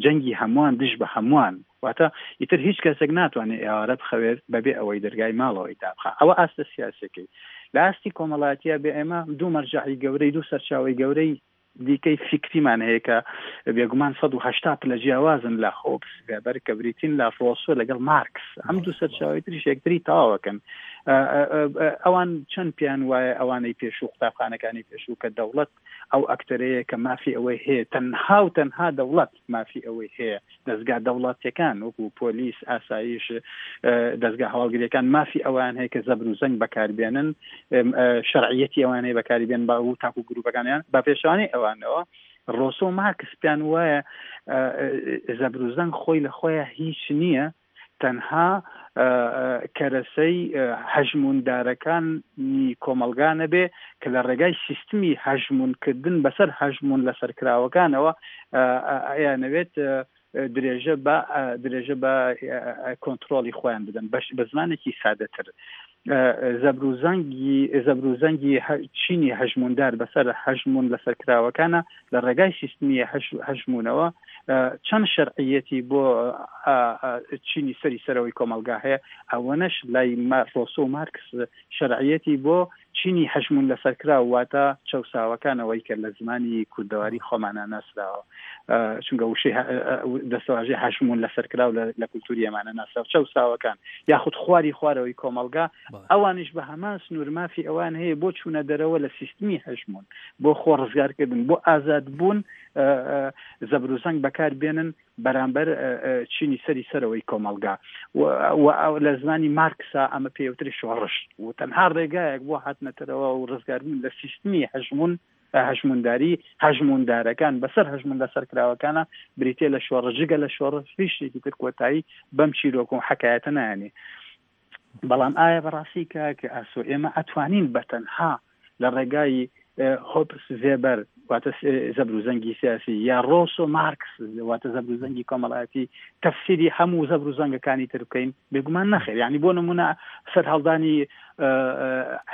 جەنگی هەمووان دژ بە هەمووان، واتە ئیتر هیچ کەسێک ناتوانێت ئێوارە بخەوێت بەبێ ئەوەی دەرگای ماڵەوەی دابخا. ئەوە ئاستە سیاسیەکەی. لە ئاستی کۆمەڵایەتییا بێ ئێمە دوو مەرجەعی گەورەی، دوو سەرچاوەی گەورەی. دیکەی فیکریمان هەیە کە بێگومان 180 پلە جیاوازن لە هۆبس ڤێبەر کە بریتین لە ڕۆسۆ لەگەڵ مارکس. ئەم دوو سەرچاوەی تریش یەکتری تەواوەکەن. ئەوان چەند پێیان وایە ئەوانەی پێشوو قوتابخانەکانی پێشوو کە دەوڵەت ئەو ئەکتەرەیە کە مافی ئەوەی هەیە تەنها و تەنها دەوڵەت مافی ئەوەی هەیە دەزگا دەوڵەتیەکان وەکو پۆلیس، ئاسایش، دەزگا هەواڵگریەکان مافی ئەوەیان هەیە کە زەبر و زەنگ بەکاربێنن، شەرعیەتی ئەوان هەیە بەکاری بێن بە و تاکو گروپەکانیان بە پێچەوانەی ئەوانەوە ڕۆسۆ و مارکس پێیان وایە زەبر و زەنگ خۆی لە خۆیان هیچ نییە تەنها کەرەسەی هەژمووندارەکانی کۆمەڵگا نەبێ کە لە ڕێگای سیستمی هەژموونکردن بەسەر هەژموون لەسەرکراوەکانەوە ئەیانەوێت درێژە بە درێژە بە کۆنتترۆلی خۆیان بدەن بەش بە زمانێکی سادەتر زەبروزەنگی زەبروزەنگی چینی هەژموندار بەسەر هەژمون لەسەرکراوەکانە لە ڕێگای سیستمی هەژمونەوە چەند شەرعیەتی بۆ چینی سەری سەرەوەی کۆمەڵگا هەیە ئەوەنەش لای ڕۆسۆ و مارکس شەرعیەتی بۆ چینی هەژموون لەسەرکراو واتە چەوساوەکانەوەی کە لە زمانی کوردەواری خۆمانا ناسراوە چونکە وشەی دەستەواژەی هەژموون لەسەرکراو لە کولتوری ئەمانە ناسراوە چەوساوەکان یاخود خواری خوارەوەی کۆمەڵگا ئەوانیش بە هەمان سنوور مافی ئەوان هەیە بۆ چوونە دەرەوە لە سیستمی هەژموون بۆ خۆ ڕزگارکردن بۆ ئازادبوون زەبروزەنگ بەکار بێنن بەرامبەر چینی سەری سەرەوەی کۆمەڵگا و لە زمانی مارکسا ئەمە پێوتری شۆڕش و تەنها ڕێگایەک بۆ هاتنەتەرەوە و ڕزگاربوون لە سیستمی هەژمون هەژمونداری هەژموندارەکان بەسەر هەژمون لەسەرکراوەکانە بریتە لە شۆڕش جگە لە شۆڕش هیچ شتێکی تر کۆتایی بەم چیرۆک و حەکایەتە نایەنێ بەڵام ئایا بەڕاستی کاک ئاسۆ ئێمە ئەتوانین بە تەنها لە ڕێگای هۆبس ڤێبەر واتە زەبر و زەنگی سیاسی یا ڕۆسۆ مارکس واتە زەبر و زەنگی کۆمەڵایەتی تەفسیری هەموو زەبر و زەنگەکانی تر بکەین بێگومان نەخێر یعنی بۆ نمونە سەرهەڵدانی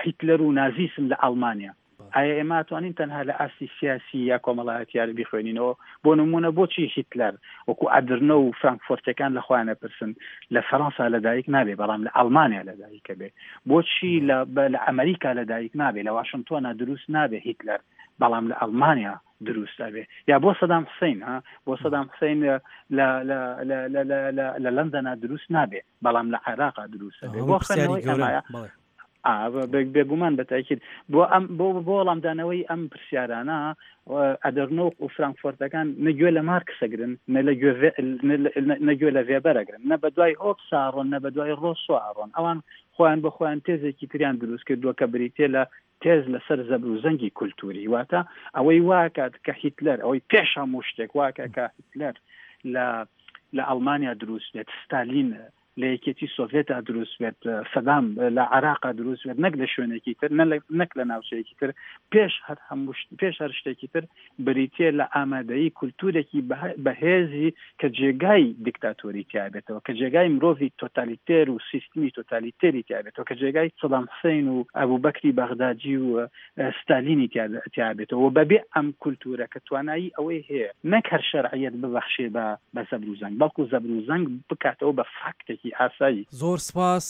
هیتلەر و نازیسم لە ئەڵمانیا ئایا ئێمە ئەتوانین تەنها لە ئاستی سیاسی یا کۆمەڵایەتیار بیخوێنینەوە؟ بۆ نموونە بۆچی هیتلەر وەکو ئەدرنۆ و فرانکفۆرتەکان لە خۆیان ئەپرسن لە فەرەنسا لەدایک نابێ بەڵام لە ئەڵمانیا لەدایک ئەبێ؟ بۆچی لە لە ئەمریکا لەدایک نابێ لە واشنتۆنا دروست نابێ هیتلەر بەڵام لە ئەڵمانیا دروست ئەبێ؟ یا بۆ سەدام حسین ها بۆ سەدام حسین لە لە لە لە لە لە لە لەندەنا دروست نابێ بەڵام لە عێراقا دروست ئەبێ؟ بۆ خوێندنەوەی ئەمایە بێگومان بە تاکید بۆ ئەم بۆ بۆ وەڵامدانەوەی ئەم پرسیارانە ئەدەرنۆ و فرانکفۆرتەکان نە گوێ لە مارکسەگرن نە لە گوێ نە گوێ لە ڤێبەرەگرن نە بە دوای هۆبسا ڕۆن نە بە دوای ڕۆسۆ ئەڕۆن ئەوان خۆیان بە خۆیان تێزێکی تریان دروست کردووە کە بریتە لە تێز لەسەر زەبر و زەنگی کولتوری واتە ئەوەی واکات کە هیتلەر ئەوەی پێش هەموو شتێک واکە کە هیتلەر لە لە ئەڵمانیا دروست بێت ستالین لە یەکێتی سۆڤێتا دروست بێت، سەدام لە عێراقا دروست بێت، نەک لە شوێنێکی تر، نەک لە ناوچەیەکی تر، پێش هەر هەموو پێش هەر شتێکی تر بریتییە لە ئامادەیی کولتوورێکی بەهێزی کە جێگای دیکتاتۆری تیا بێتەوە، کە جێگای مرۆڤی تۆتالیتێر و سیستمی تۆتالیتێری تیا بێتەوە، کە جێگای سەدام حوسەین و ئەبوبەکری بەغدادی و ستالینی تیا بێتەوە و بەبێ ئەم کولتوورە کە توانایی ئەوەی هەیە نەک هەر شەرعیەت ببەخشێ بە بە زەبر و زەنگ بەڵکو زەبر و زەنگ بکاتەوە بە فاکتێکی ئاسایی. زۆر سپاس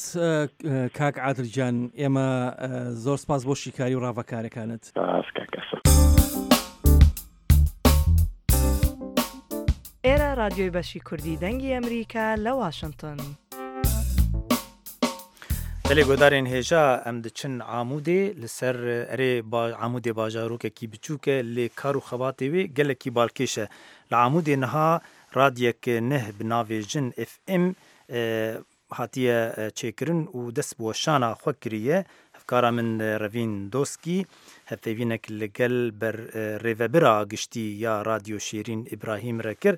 کاک عادل گیان ئێمە زۆر سپاس بۆ شیکاری و ڕاڤەکارەکانت. سپاس کاک ئاسۆ. ئێرە ڕادیۆی بەشی کوردی دەنگی ئەمریکا لە واشنتن. Belê guhdarên hêja em diçin Amûdê li ser erê Amûdê bajarokekî biçûk e lê kar û xebatê wê gelekî balkêş e. Li Amûdê niha radyek nih bi navê Jin FM hatiye çêkirin û dest bi weşana xwe kiriye. Hevkara min Revîn Doskî hevpeyvînek li gel ber rêvebira giştî ya Radyo Şêrîn Îbrahîm re kir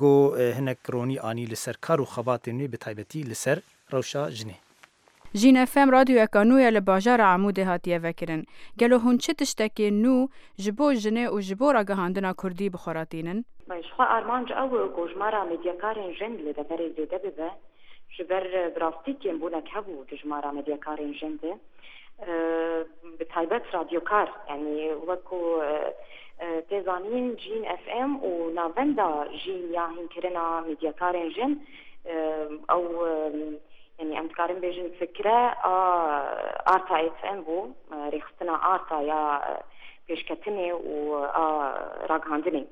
ku hinek ronî anî li ser kar û xebatên wê bi taybetî li ser rewşa jinê. Jîn FM radyoyeka nû ye li bajara Amûdê hatiye vekirin. Gelo hûn çi tiştekê nû ji bo jinê û ji bo ragihandina kurdî bi xwe re tînin? Ji xwe armanc ew e ku jimara medyakarên jin li deverê zêde bibe. Ji ber bi rastî kêmbûnek hebû di jimara medyakarên jin de. Bi taybet radyokar yanî wek ku tê zanîn Jîn FM û navenda Jîn ya hînkirina medyakarên jin ew. Yanî em dikarin bêjin fikre a Arta FM bû, rêxistina Arta ya pêşketinê û a ragihandinê.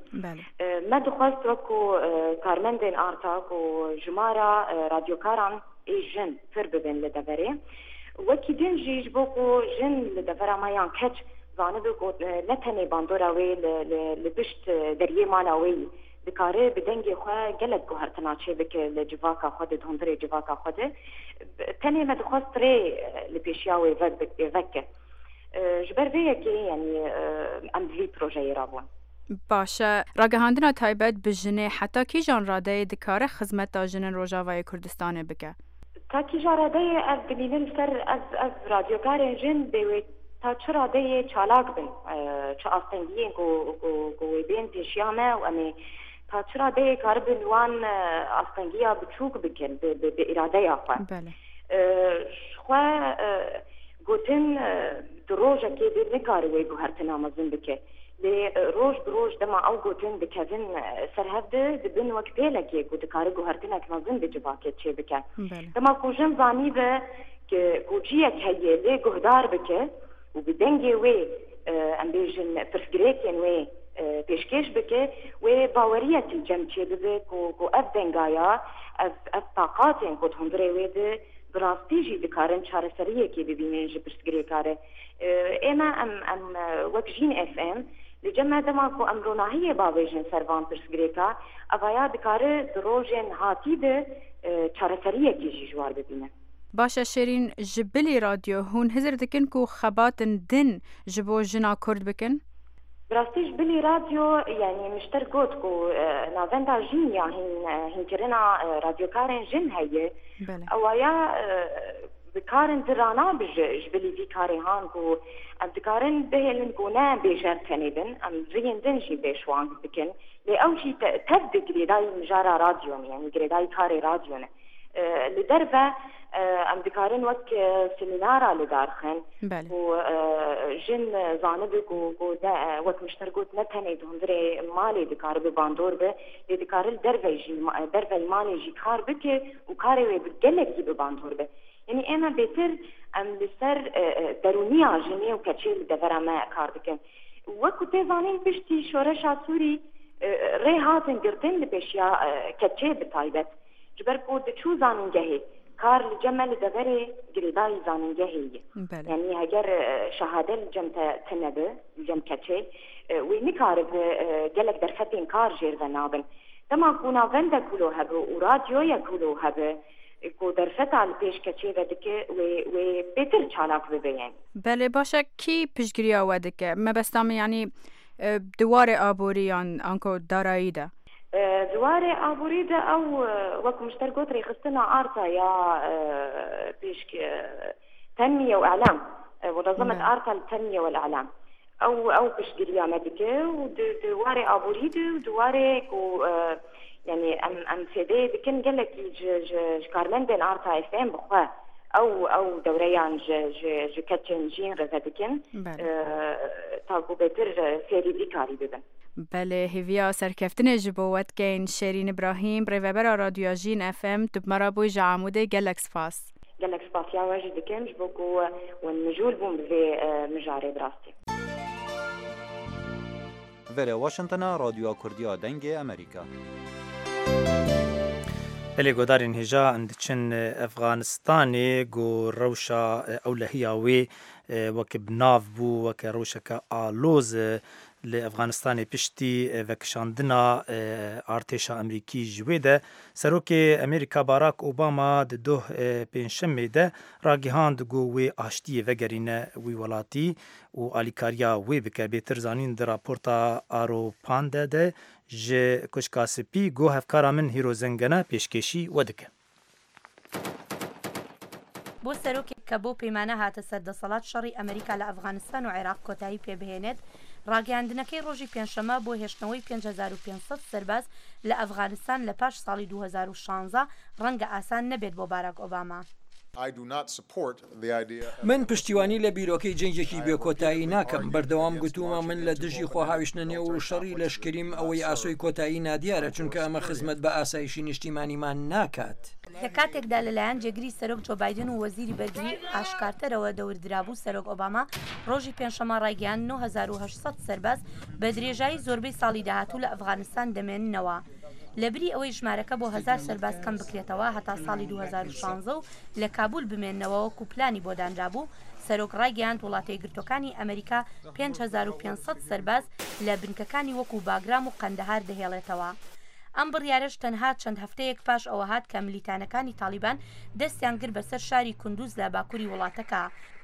Me dixwest wek ku karmendên Arta ku jimara radyokaran ê jin pir bibin li deverê. Wekî din jî ji bo ku jin li devera me yan keç zanibe ku ne tenê bandora wê li pişt deriyê mala wê yî, Dikare bi dengê xwe gelek guhertina çêbike li civaka xwe de, di hundirê civaka xwe de. Tenê me dixwest rê li pêşiya wê veke. Ji ber vê yekê yanî em bi vî projeyê re bûn. Baş e. Ragihandina taybet bi jinê heta kîjan radeyê dikare xizmeta jinên Rojavayê Kurdistanê bike? Ta kîjan radeyê ev dimînin ser ev ev radyokarên jin bê wê ta çi radeyê çalak bin, çi astengiyên ku ku ku wê bên pêşiya me û em ê ta çi radeyê karibin wan astengiya biçûk bikin bi bi bi îradeya xwe. Ji xwe gotin di rojekê de nikare wê guhertina mezin bike. Lê roj bi roj dema ew gotin dikevin ser hev de dibin wek pêlekê ku dikare guhertinek mezin di civakê çêbike. Dema ku jin zanîbe ku ciyek heye lê guhdar bike û bi dengê wê em bêjin pirsgirêkên wê pêşkêş bike wê baweriyek li cem çêbibe ku ku ev dengaya ev ev taqatên ku di hundirê wê de bi rastî jî dikarin çareseriyekê bibînin ji pirsgirêka re. Ême em em wek Jîn FM li cem me dema ku em ronahiyê bavêjin ser van pirsgirêka, evaya dikare di rojên hatî de çareseriyekê jî ji war bibîne. Baş e Şêrîn, ji bilî radyo hûn hizir dikin ku xebatin din ji bo jina Kurd bikin? Bi rastî ji bilî radyo yanî mişter got ku navenda jîn ya hîn hînkirina radyokarên jin heye. Ewaya Bi karên din re nabije ji bilî vî karê han ku em dikarin bihêlin ku ne bêjer tenê bin, em riyên din jî pêşwang bikin. Lê ew jî tev di girêdayî mijara radyo ne, yanî girêdayî karê radyo ne. Li derve em dikarin wek semînara li dar xin ku jin zanibe ku ku ne wek mişter got ne tenê di hundirê malê dikaribe bandor be, lê dikare li derve jî derveyî malê jî kar bike û karê wê bi gelekî bi bandor be. Yanî ême bêtir em li ser derûniya jinê û keçê li devera me kar dikin. Wek ku tê zanîn piştî şoreşa Sûrî rê hatin girtin li pêşiya keçê bi taybet. Ji ber ku diçû zanîngehê, kar li cem me li deverê girêdayî zanîngehê ye. Yanî heger şehade li cem te tune be, li cem keçê, wê nikaribe gelek derfetên kar jêr ve nabin. Dema ku navendek wilo hebe û radyoyek wilo hebe ku derfeta li pêş keçê ve dike wê wê bêtir çalak bibe yanî. Belê baş e kî piştgiriya we dike? Mebesta min yanî di warê aborî yan anko darayî de. Di warê aborî de ew wek min ji te re got rêxistina Arta ya pêş tenmiye û îlam, Munezemet Arta li tenmiye wel îlam. Ew ew piştgiriya me dike û di di warê aborî de û di warê ku yanî em em fêdeyê dikin gelekî ji ji ji karmendên Arta FM bi xwe ew ew dewreyan ji ji ji keçên jîn re vedikin ta ku bêtir fêrî vî karî bibin. Belê hêviya serkeftinê ji bo we dikeyn Şêrîn Îbrahîm, Rêvebera Radyoya Jîn FM, tu bi me re bûyî ji Amûdê gelek spas. Gelek spasiya we jî dikim ji bo ku hûn mijûl bûn bi vê mijarê bi rastî. Verê Washingtona Radyoya Kurdî ya Dengê Amerîka. Belê guhdarên hêja em diçin Efxanistanê ku rewşa ewlehiya wê weke bi nav bû weke rewşeke aloz Li Efxanistanê piştî vekişandina artêşa Amerîkî ji wê de, Serokê Amerîka Barack Obama di doh Pêncşemê de ragihand ku wê aştiyê vegerîne wî welatî û alîkariya wê bike. Bêtir zanîn di raporta Aro Pande de ji Koşka Spî ku hevkara min Hîro Zengene pêşkêşî we dike. بۆ سەرۆکێک کە بەو پەیمانە هاتە سەر دەسەڵات شەڕی ئەمریکا لە ئەفغانستان و عێراق کۆتایی پێ بهێنێت، ڕاگەیاندنەکەی ڕۆژی پێنجشەممە بۆ هێشتنەوەی 5500 سەرباز لە ئەفغانستان لە پاش ساڵی 2016 ڕەنگە ئاسان نەبێت بۆ باراک ئۆباما. من پشتیوانی لە بیرۆکەی جەنگێکی بێ کۆتایی ناکەم، بەردەوام گوتوومە من لە دژی خۆهاویشتنە نێو شەڕی لەشکریم، ئەوەی ئاسۆی کۆتایی نادیارە، چونکە ئەمە خزمەت بە ئاسایشی نیشتیمانیمان ناکات. لە کاتێکدا لەلایەن جێگری سەرۆک جۆ بایدن و وەزیری بەرگری ئاش کارتەرەوە دەوردرابوو، سەرۆک ئۆباما ڕۆژی پێنجشەممە ڕایگەیاند 9800 سەرباز بە درێژایی زۆربەی ساڵی داهاتوو لە ئەفغانستان دەمێننەوە لەبری ئەوەی ژمارەکە بۆ هەزار سەرباز کەم بکرێتەوە هەتا ساڵی 2016 و لە کابول بمێننەوە وەکو پلانی بۆ دانرابوو. سەرۆک ڕایگەیاند وڵاتەیەکگرتووەکانی ئەمریکا 5500 سەرباز لە بنکەکانی وەکو باگرام و قەندەهار دەهێڵێتەوە. ئەم بڕیارەش تەنها چەند هەفتەیەک پاش ئەوە هات کە ملیتانەکانی تاڵیبان دەستیان گرت بەسەر شاری کوندوز لە باکوری وڵاتەکە،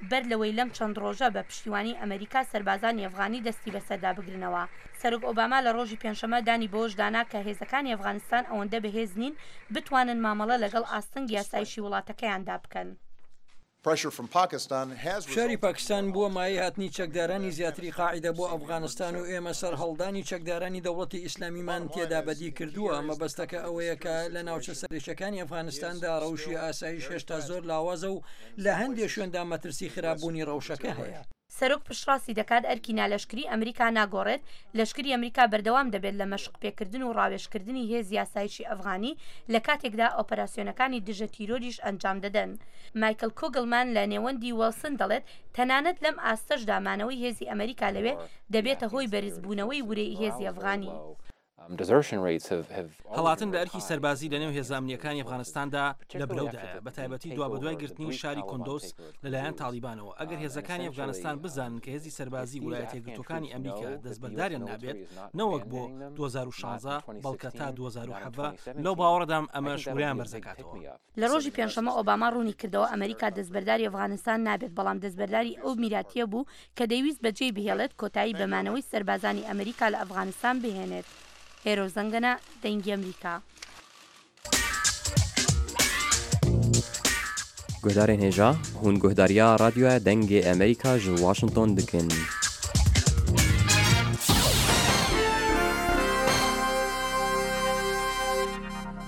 بەر لەوەی لەم چەند ڕۆژە بە پشتیوانی ئەمەریکا سەربازانی ئەفغانی دەستی بەسەردا بگرنەوە. سەرۆک ئۆباما لە ڕۆژی پێنجشەممە دانی بەوەشدا نا کە هێزەکانی ئەفغانستان ئەوەندە بەهێز نین بتوانن مامەڵە لەگەڵ ئاستەنگی ئاسایشی وڵاتەکەیاندا بکەن. فشاری پاکستان بووە مایەی هاتنی چەکدارانی زیاتری قاعیدە بۆ ئەفغانستان و ئێمە سەرهەڵدانی چەکدارانی دەوڵەتی ئیسلامیمان تێدا بەدی کردووە، مەبەستەکە ئەوەیە کە لە ناوچە سەرەکیەکانی ئەفغانستاندا ڕەوشی ئاسایش هێشتا زۆر لاوازە و لە هەندێ شوێندا مەترسی خراپبوونی ڕەوشەکە هەیە. سەرۆک پشتڕاستی دەکات ئەرکی نالەشکری ئەمریکا ناگۆڕێت، لەشکری ئەمریکا بەردەوام دەبێت لە مەشق پێکردن و ڕاوێژکردنی هێزی ئاسایشی ئەفغانی لە کاتێکدا ئۆپەراسیۆنەکانی دژە تیرۆریش ئەنجام دەدەن. مایکل کوگلمان لە نێوەندی وێڵسن دەڵێت تەنانەت لەم ئاستەشدا مانەوەی هێزی ئەمریکا لەوێ دەبێتە هۆی بەرزبوونەوەی ورەی هێزی ئەفغانی. هەڵاتن لە ئەرکی سەربازی لەنێو هێزە ئەمنییەکانی ئەفغانستاندا لە برەودایە، بەتایبەتی دوابەدوای گرتنی شاری کوندوز لەلایەن تاڵیبانەوە، ئەگەر هێزەکانی ئەفغانستان بزانن کە هێزی سەربازی ولایەتە یەکگرتووەکانی ئەمریکا دەستبەرداریان نابێت نەوەک بۆ 2016 بەڵکە تا 2017، لەو باوەڕەدام ئەمەش ورەیان بەرزدەکاتەوە. لە ڕۆژی پێنجشەممە ئۆباما ڕوونی کردەوە ئەمریکا دەستبەرداری ئەفغانستان نابێت، بەڵام دەستبەرداری ئەو میراتییە بوو کە دەیویست بەجێی بهێڵێت کۆتایی بە مانەوەی سەربازانی ئەمریکا لە ئەفغانستان بهێنێت. هێرۆ زەنگەنە، دەنگی ئەمریکا. Guhdarên hêja, hûn guhdariya Radyoya Dengê Amerîka ji Washington dikin.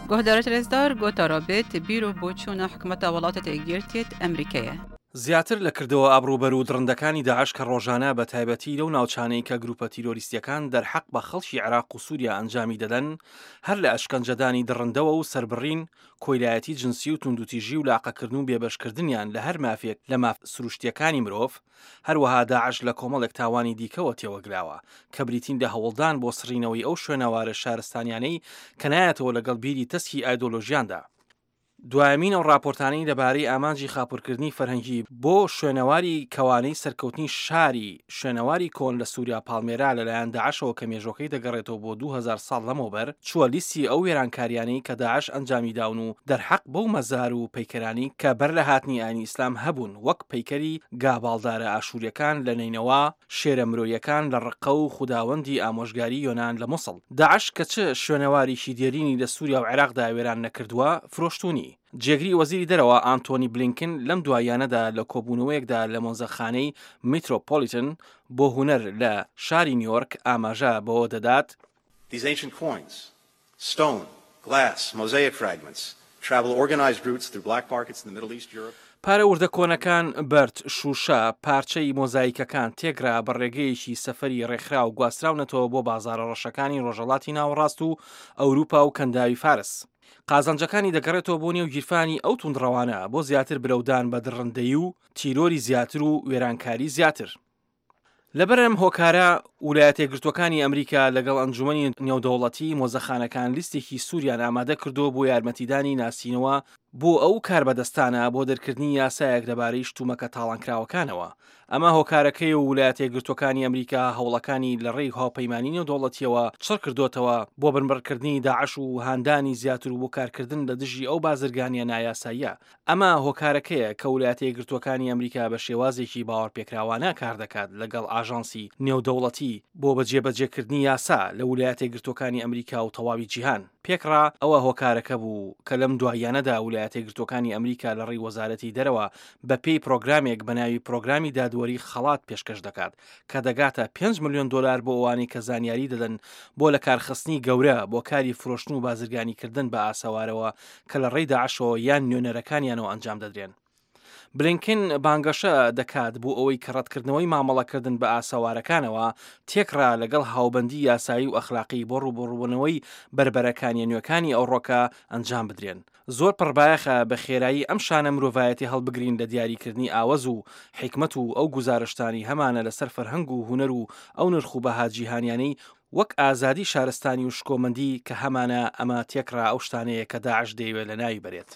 Guhdarê rêzdar gotara bêt bîr û boçûna hikûmeta welatê Yekgirtiyê Emrîkê ye. زیاتر لە کردەوە ئابڕووبەر و دڕندەکانی داعش کە ڕۆژانە بە تایبەتی لەو ناوچانەی کە گروپە تیرۆریستیەکان دەرحەق بە خەڵکی عێراق و سوریا ئەنجامی دەدەن هەر لە ئەشکەنجەدانی دڕندەوە و سەربڕین کۆیلایەتی جنسی و توندوتیژی و لاقەکردن و بێبەشکردنیان لە هەر مافێک لە ماف سروشتیەکانی مرۆڤ هەروەها داعش لە کۆمەڵێک تاوانی دیکەوە تێوەگلاوە کە بریتین لە هەوڵدان بۆ سڕینەوەی ئەو شوێنەوارە شارستانیانەی کە نایەتەوە لەگەڵ بیری تەسکی ئایدۆلۆژیاندا. دوایەمین ئەو ڕاپۆرتانەی لەبارەی ئامانجی خاپوورکردنی فەرهەنگی بۆ شوێنەواری کەوانەی سەرکەوتنی شاری شوێنەواری کۆن لە سووریا پاڵمێرا لەلایەن داعشەوە کە مێژوەکەی دەگەڕێتەوە بۆ 2000 ساڵ لەمەوبەر چووە لیستی ئەو وێرانکاریانەی کە داعش ئەنجامی داون و دەرحەق بەو مەزار و پەیکەرانەی کە بەر لە هاتنی ئاینی ئیسلام هەبوون وەک پەیکەری گاباڵدارە ئاشووریەکان لە نەینەوا شێرە مرۆیەکان لە ڕقە و خوداوەندی ئامۆژگاری یۆنان لە موسڵ. داعش کە چ شوێنەواریکی دێرینی لە سوریا و عێراقدا وێران نەکردووە، فرۆشتوونی. جێگری وەزیری دەرەوە ئانتۆنی بلینکن لەم دواییانەدا لە کۆبوونەوەیەکدا لە مۆزەخانەی میترۆپۆلیتن بۆ هونەر لە شاری نیۆرک ئاماژە بەوە دەدات، These ancient coins, Stone, glass, mosaic fragments travel organized routes through black markets in the Middle East, Europe. پارە وردە کۆنەکان، بەرد، شووشە، پارچەی مۆزایکەکان تێکرا بە ڕێگەیەکی سەفەری ڕێکخراو گواستراونەتەوە بۆ بازاڕە ڕەشەکانی ڕۆژهەڵاتی ناوەڕاست و ئەوروپا و کەنداوی فارس. قازانجەکانی دەگەڕێتەوە بۆ نێو گیرفانی ئەو توندڕەوانە بۆ زیاتر برەودان بە دڕندەیی و تیرۆری زیاتر و وێرانکاری زیاتر. لەبەر ئەم هۆکارە ولایەتەیەکگرتووەکانی ئەمریکا لەگەڵ ئەنجومەنی نێودەوڵەتی مۆزەخانەکان لیستێکی سووریان ئامادە کردووە بۆ یارمەتیدانی ناسینەوە بۆ ئەو کاربەدەستانە بۆ دەرکردنی یاسایەک لەبارەی شتومەکە تاڵانکراوەکانەوە. ئەمە هۆکارەکەی و ولایەتەیەکگرتووەکانی ئەمریکا هەوڵەکانی لە ڕێی هاوپەیمانی نێودەوڵەتیەوە چڕکردۆتەوە بۆ بنبڕکردنی داعش و هاندانی زیاتر و بۆ کارکردن لە دژی ئەو بازرگانیە نایاساییە ئەمە هۆکارەکەیە کە ولایەتە یەکگرتووەکانی ئەمریکا بە شێوازێکی باوەڕپێکراوانە کاردەکات لەگەڵ ئاژانسی نێودەوڵەتی بۆ بە جێبەجێکردنی یاسا لە ولایەتە یەکگرتووەکانی ئەمریکا و تەواوی جیهان. پێکڕا ئەوە هۆکارەکە بوو کە لەم دواییانەدا ولایەتە یەکگرتووەکانی ئەمریکا لە ڕێی وەزارەتی دەرەوە بە پێی پرۆگرامێک بە ناوی پرۆگرامی دادوەری خەڵات پێشکەش دەکات کە دەگاتە پێنج ملیۆن دۆلار بۆ ئەوانەی کە زانیاری دەدەن بۆ لەکارخستنی گەورە بۆ کاری فرۆشتن و بازرگانیکردن بە ئاسەوارەوە کە لە ڕێی داعشەوە یان نوێنەرەکانیانەوە ئەنجام دەدرێن. بلینکن بانگەشە دەکات بۆ ئەوەی کە ڕەتکردنەوەی مامەڵەکردن بە ئاسەوارەکانەوە تێکڕا لەگەڵ هاوبەندی یاسایی و ئەخلاقی بۆ ڕووبەڕووبوونەوەی بەربەرەکانیە نوێکانی ئەوڕۆکە ئەنجام بدرێن. زۆر پڕبایەخە بە خێرایی ئەم شانە مرۆڤایەتی هەڵبگرین لە دیاریکردنی ئاوەز و حیکمەت و ئەو گوزارشتانەی هەمانە لەسەر فەرهەنگ و هونەر و ئەو نرخ و بەها جیهانیانەی وەک ئازادی شارستانی و شکۆمەندی کە هەمانە ئەمە تێکڕا ئەو شتانەیە کە داعش دەیەوێت لەناوی بەرێت.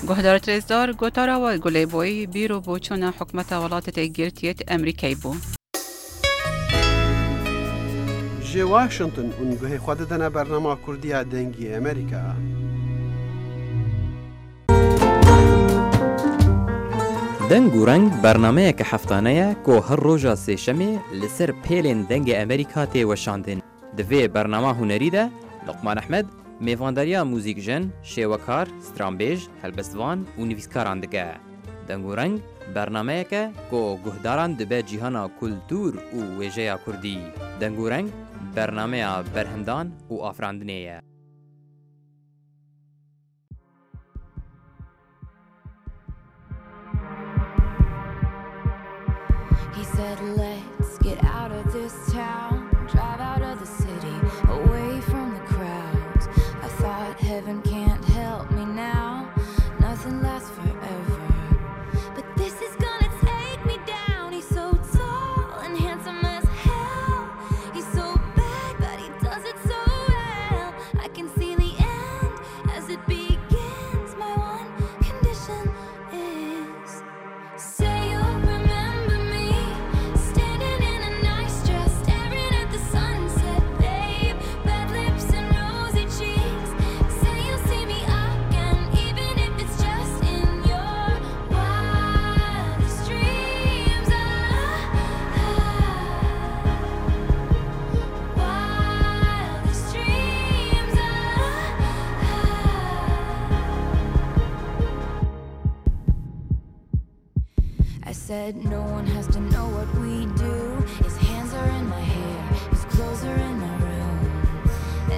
Guhdar Rêzdar gotara we gulêboyî bîr û boçûna hikûmeta welatê Yekgirtiyê Emrîkayê bû. Ji Washington hûn guhê xwe didine bernama Kurdî ya Dengê Amerîka. Deng û Reng bernameyeke heftane ye ku her roja sêşemê li ser pêlên Dengê Amerîka tê weşandin. Di vê bernama hunerî de Luqman Ehmed mêvandariya muzîkjen, şêwekar, stranbêj, helbestvan û nivîskaran dike. Deng û Reng bernameyek e ku guhdaran dibe cîhana kultûr û wêjeya kurdî. Deng û Reng bernameya berhemdan û afirandinê ye. He said, Let's get out of this town, drive out of the city, away from the crowds. I thought heaven can't help me now, nothing lasts forever. But this is gonna take me down. He's so tall and handsome as hell. He's so bad, but he does it so well. I can see the end as it begins. My one condition is say you'll remember me standing in a nice dress, staring at the sunset, babe. Red lips and rosy cheeks. Say you'll see me again, even if it's just in your wildest dreams. Ah, wildest dreams. Ah. I said no one has to know what we do. His hands are in my hair, his clothes are in my room,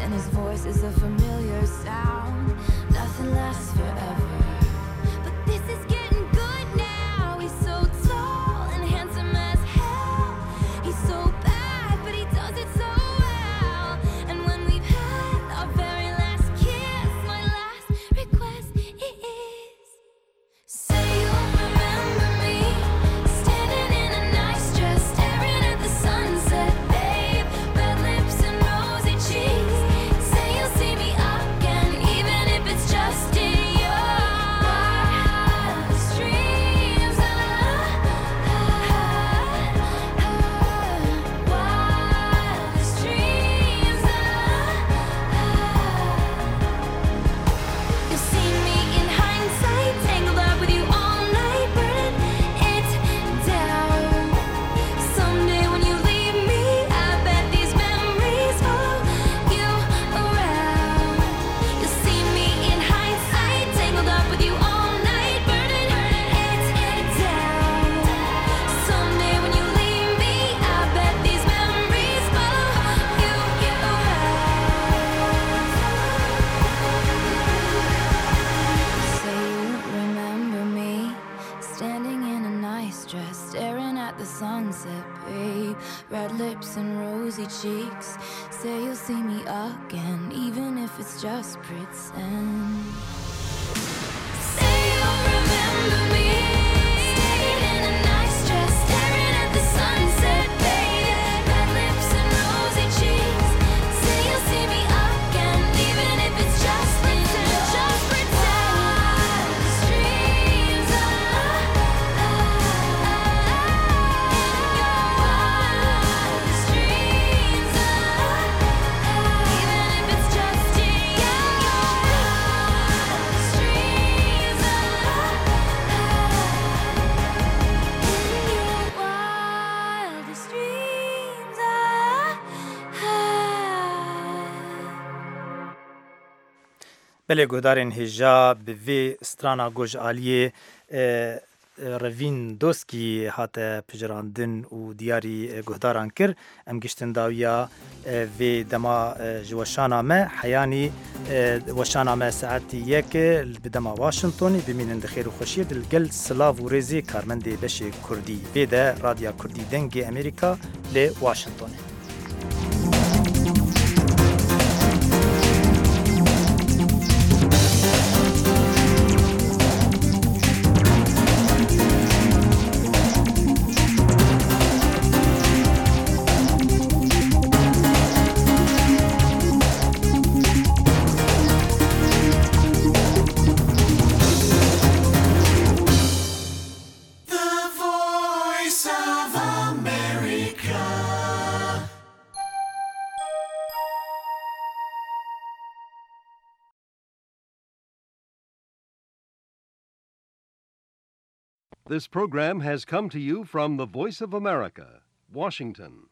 and his voice is a familiar sound. Nothing lasts forever. But this is getting good now. He's so tall and handsome as hell. He's so bad, but he does it so well. And when we've had our very last kiss, my last request is say you'll remember me standing in a nice dress, staring at the sunset, babe. Red lips and rosy cheeks. Say you'll see me again, even if it's just in your wildest dreams. Ah, wildest dreams. Ah. You'll see me in hindsight, tangled up with you all night, burning it down. Someday when you leave me, I bet these memories follow you around. You'll see me in hindsight, tangled up with you all night, burning it down. Someday when you leave me, I bet these memories follow you around. Say you remember me standing in a nice dress, staring at the sunset, babe. Red lips and rosy cheeks. Say you'll see me again, even if it's just pretend. Say you'll remember me standing in a nice dress, staring at the sunset, babe. Red lips and rosy cheeks. Say you'll see me again, even if it's just pretend, just pretend. Dreams dreams, even if it's just in your dreams, in your wildest dreams. Belê guhdarên hêja bi vê strana ku ji aliyê Revîn Doskî hate pijirandin û diyarî guhdaran kir, em gihiştin dawiya vê dema ji weşana me heyanî weşana me saetî yek bi dema Washingtonê bimînin di xêr û xweşiyê di li gel silav û rêzê karmendê beşê Kurdî vê de Radya Kurdî Dengê Amerîka li Washingtonê. This program has come to you from the Voice of America, Washington.